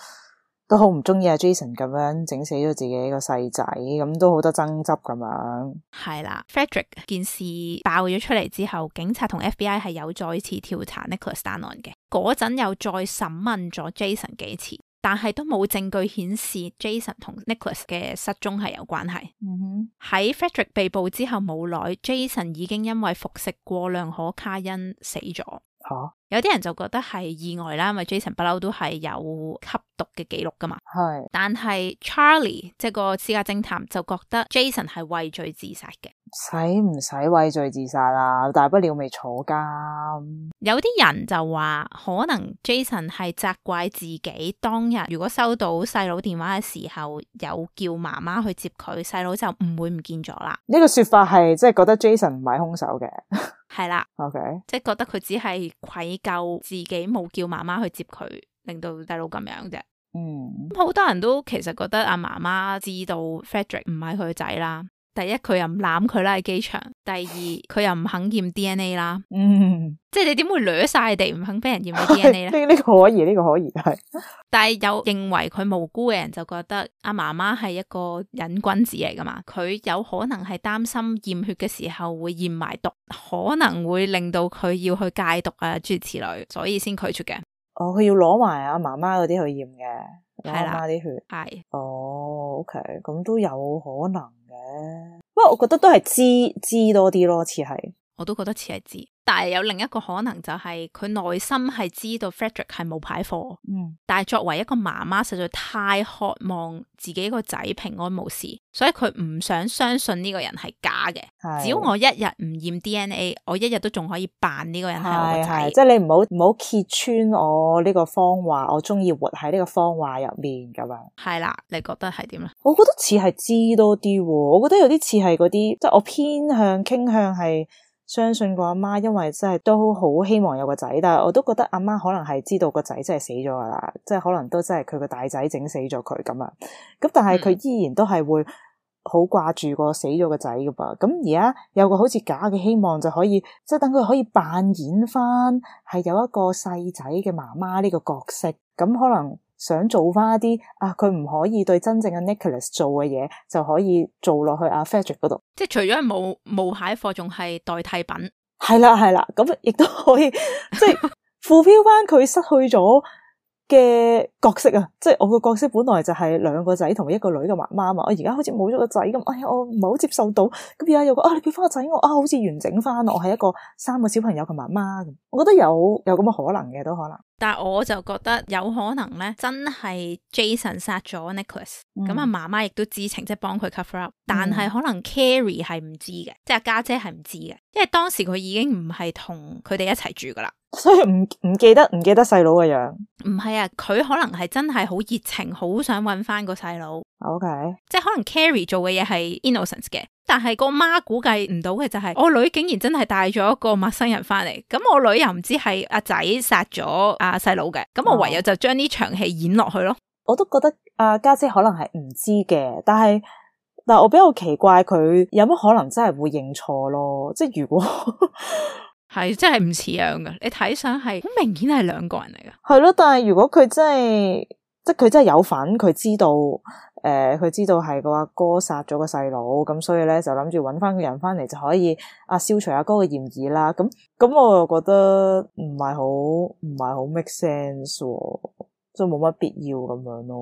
都好唔中意阿 Jason 咁樣整死咗自己個細仔，咁都好多爭執咁樣。係啦 Frederick 件事爆咗出嚟之後，警察同 F B I 係有再次調查 Nicholas 單案嘅，嗰陣又再審問咗 Jason 幾次，但係都冇證據顯示 Jason 同 Nicholas 嘅失蹤係有關係。嗯哼，喺 Frederick 被捕之後冇耐 Jason 已經因為服食過量可卡因死咗。吓，有啲人就覺得係意外啦，因為 Jason 不嬲都係有吸毒嘅記錄噶嘛。係，但係 Charlie 即係個私家偵探就覺得 Jason 係畏罪自殺嘅。使唔使畏罪自殺啊？大不了未坐監。有啲人就話可能 Jason 係責怪自己當日如果收到細佬電話嘅時候有叫媽媽去接佢，細佬就唔會唔見咗啦。呢個說法係即係覺得 Jason 唔係兇手嘅。係啦，OK，即係覺得佢只係愧疚自己冇叫媽媽去接佢，令到細佬咁樣啫。嗯，好多人都其實覺得阿媽媽知道 Frederick 唔係佢個仔啦。第一，佢又唔攬佢啦喺機場；第二，佢又唔肯驗 D N A 啦。嗯，即係你點會掠晒地唔肯俾人驗 D N A 咧？呢呢個可以，呢、這個可以係。但係有認為佢無辜嘅人就覺得阿媽媽係一個癮君子嚟噶嘛，佢有可能係擔心驗血嘅時候會驗埋毒，可能會令到佢要去戒毒啊諸如此類，所以先拒絕嘅。哦，佢要攞埋阿媽媽嗰啲去驗嘅，攞阿媽啲血。係。哦 ，OK，咁都有可能。不過我覺得都係知知多啲咯，似係，我都覺得似係知，但係有另一個可能就係佢內心係知道 Frederick 係冇牌貨，嗯，但係作為一個媽媽實在太渴望自己個仔平安無事，所以佢唔想相信呢個人係假嘅。只要我一日唔驗 D N A， 我一日都仲可以扮呢個人係我個仔。即係你唔好唔好揭穿我呢個謊話，我中意活喺呢個謊話入面咁樣。係啦，你覺得係點咧？我覺得似係知多啲，我覺得有啲似係嗰啲，即係我偏向傾向係相信個阿媽，因為真係都好希望有個仔，但係我都覺得阿媽可能係知道個仔真係死咗噶啦，即係可能都真係佢個大仔整死咗佢咁啊。咁但係佢依然都係會好掛住個死咗個仔噶噃。咁而家有個好似假嘅希望，就可以即係等佢可以扮演翻係有一個細仔嘅媽媽呢個角色，咁可能想做翻一啲啊，佢唔可以對真正嘅 Nicholas 做嘅嘢，就可以做落去阿 Frederick 嗰度。即係除咗係冒冒牌貨，仲係代替品。係啦係啦，咁亦都可以即係 fulfill 翻佢失去咗嘅角色啊！即係我個角色本來就係兩個仔同一個女嘅媽媽嘛，我而家好似冇咗個仔咁，哎呀，我唔係好接受到。咁而家有個啊，你俾翻個仔我啊，好似完整翻我係一個三個小朋友嘅媽媽咁。我覺得有有咁嘅可能嘅都可能。但係我就覺得有可能咧，真係 Jason 殺咗 Nicholas，咁啊媽媽亦都知情，即係幫佢 cover up，但係可能 Carrie 係唔知嘅，即係家姐係唔知嘅，因為當時佢已經唔係同佢哋一齊住噶啦，所以唔唔記得唔記得細佬嘅樣。唔係啊，佢可能係真係好熱情，好想搵翻個細佬。OK， 即係可能 Carrie 做嘅嘢係 innocent 嘅，但係個媽估計唔到嘅就係、是、我女竟然真係帶咗一個陌生人翻嚟，咁我女又唔知係阿仔殺咗阿細佬嘅，咁我唯有就將呢場戲演落去咯。我都覺得阿家姐可能係唔知嘅，但係但係我比較奇怪佢有乜可能真係會認錯咯？即係如果係真係唔似樣嘅，你睇相係好明顯係兩個人嚟嘅。係咯，但係如果佢真係即係佢真係有份，佢知道誒，佢、呃、知道係個阿哥殺咗個細佬，咁所以咧就諗住搵翻個人翻嚟就可以啊消除阿哥嘅嫌疑啦。咁咁我又覺得唔係好唔係好 make sense 喎，即係冇乜必要咁樣咯。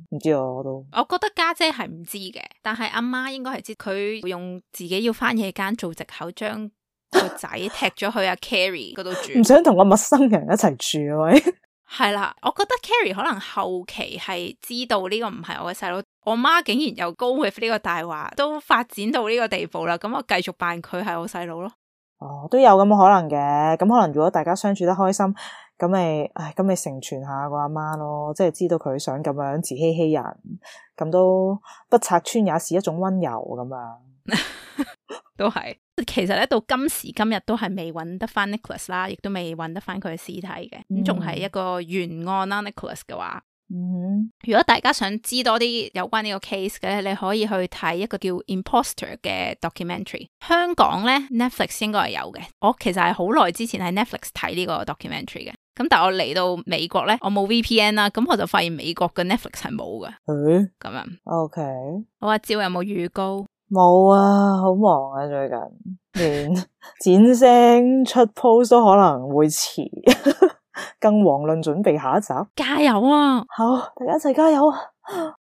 唔知啊，我都我覺得家姐係唔知嘅，但係阿媽應該係知，佢會用自己要翻夜間做藉口將個仔踢咗去阿 Carrie 嗰度住，唔想同個陌生人一齊住係咪？係啦，我覺得 Carrie 可能後期係知道呢個唔係我嘅細佬，我媽竟然又 go with 呢個大話，都發展到呢個地步啦，咁我繼續扮佢係我細佬咯。哦，都有咁嘅可能嘅，咁可能如果大家相處得開心，咁咪，唉，咁咪成全下個阿媽咯，即係知道佢想咁樣自欺欺人，咁都不拆穿也是一種溫柔咁樣。都係，其實咧到今時今日都係未揾得翻 Nicholas 啦，亦都未揾得翻佢嘅屍體嘅，咁仲係一個懸案啦。Nicholas 嘅話，嗯，如果大家想知多啲有關呢個 case 嘅咧，你可以去睇一個叫 Imposter 嘅 documentary。香港咧 Netflix 應該係有嘅，我其實係好耐之前喺 Netflix 睇呢個 documentary 嘅，咁但係我嚟到美國咧，我冇 V P N 啦，咁我就發現美國嘅 Netflix 係冇嘅，誒，咁樣。OK，我阿趙有冇預告？冇啊，好忙啊，最近連剪聲出 post 都可能會遲，更遑論準備下一集。加油啊！好，大家一齊加油啊！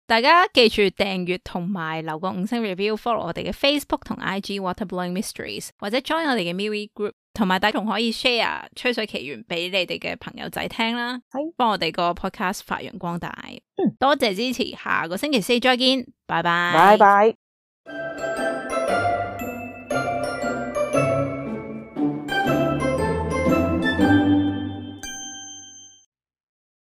大家記住訂閱同埋留個五星 review，follow 我哋嘅 Facebook 同 I G Waterblowing Mysteries， 或者 join 我哋嘅 MeWe Group， 同埋大家仲可以 share 吹水奇緣俾你哋嘅朋友仔聽啦，幫我哋個 podcast 發揚光大。嗯，多謝支持，下個星期四再見，拜拜，拜拜。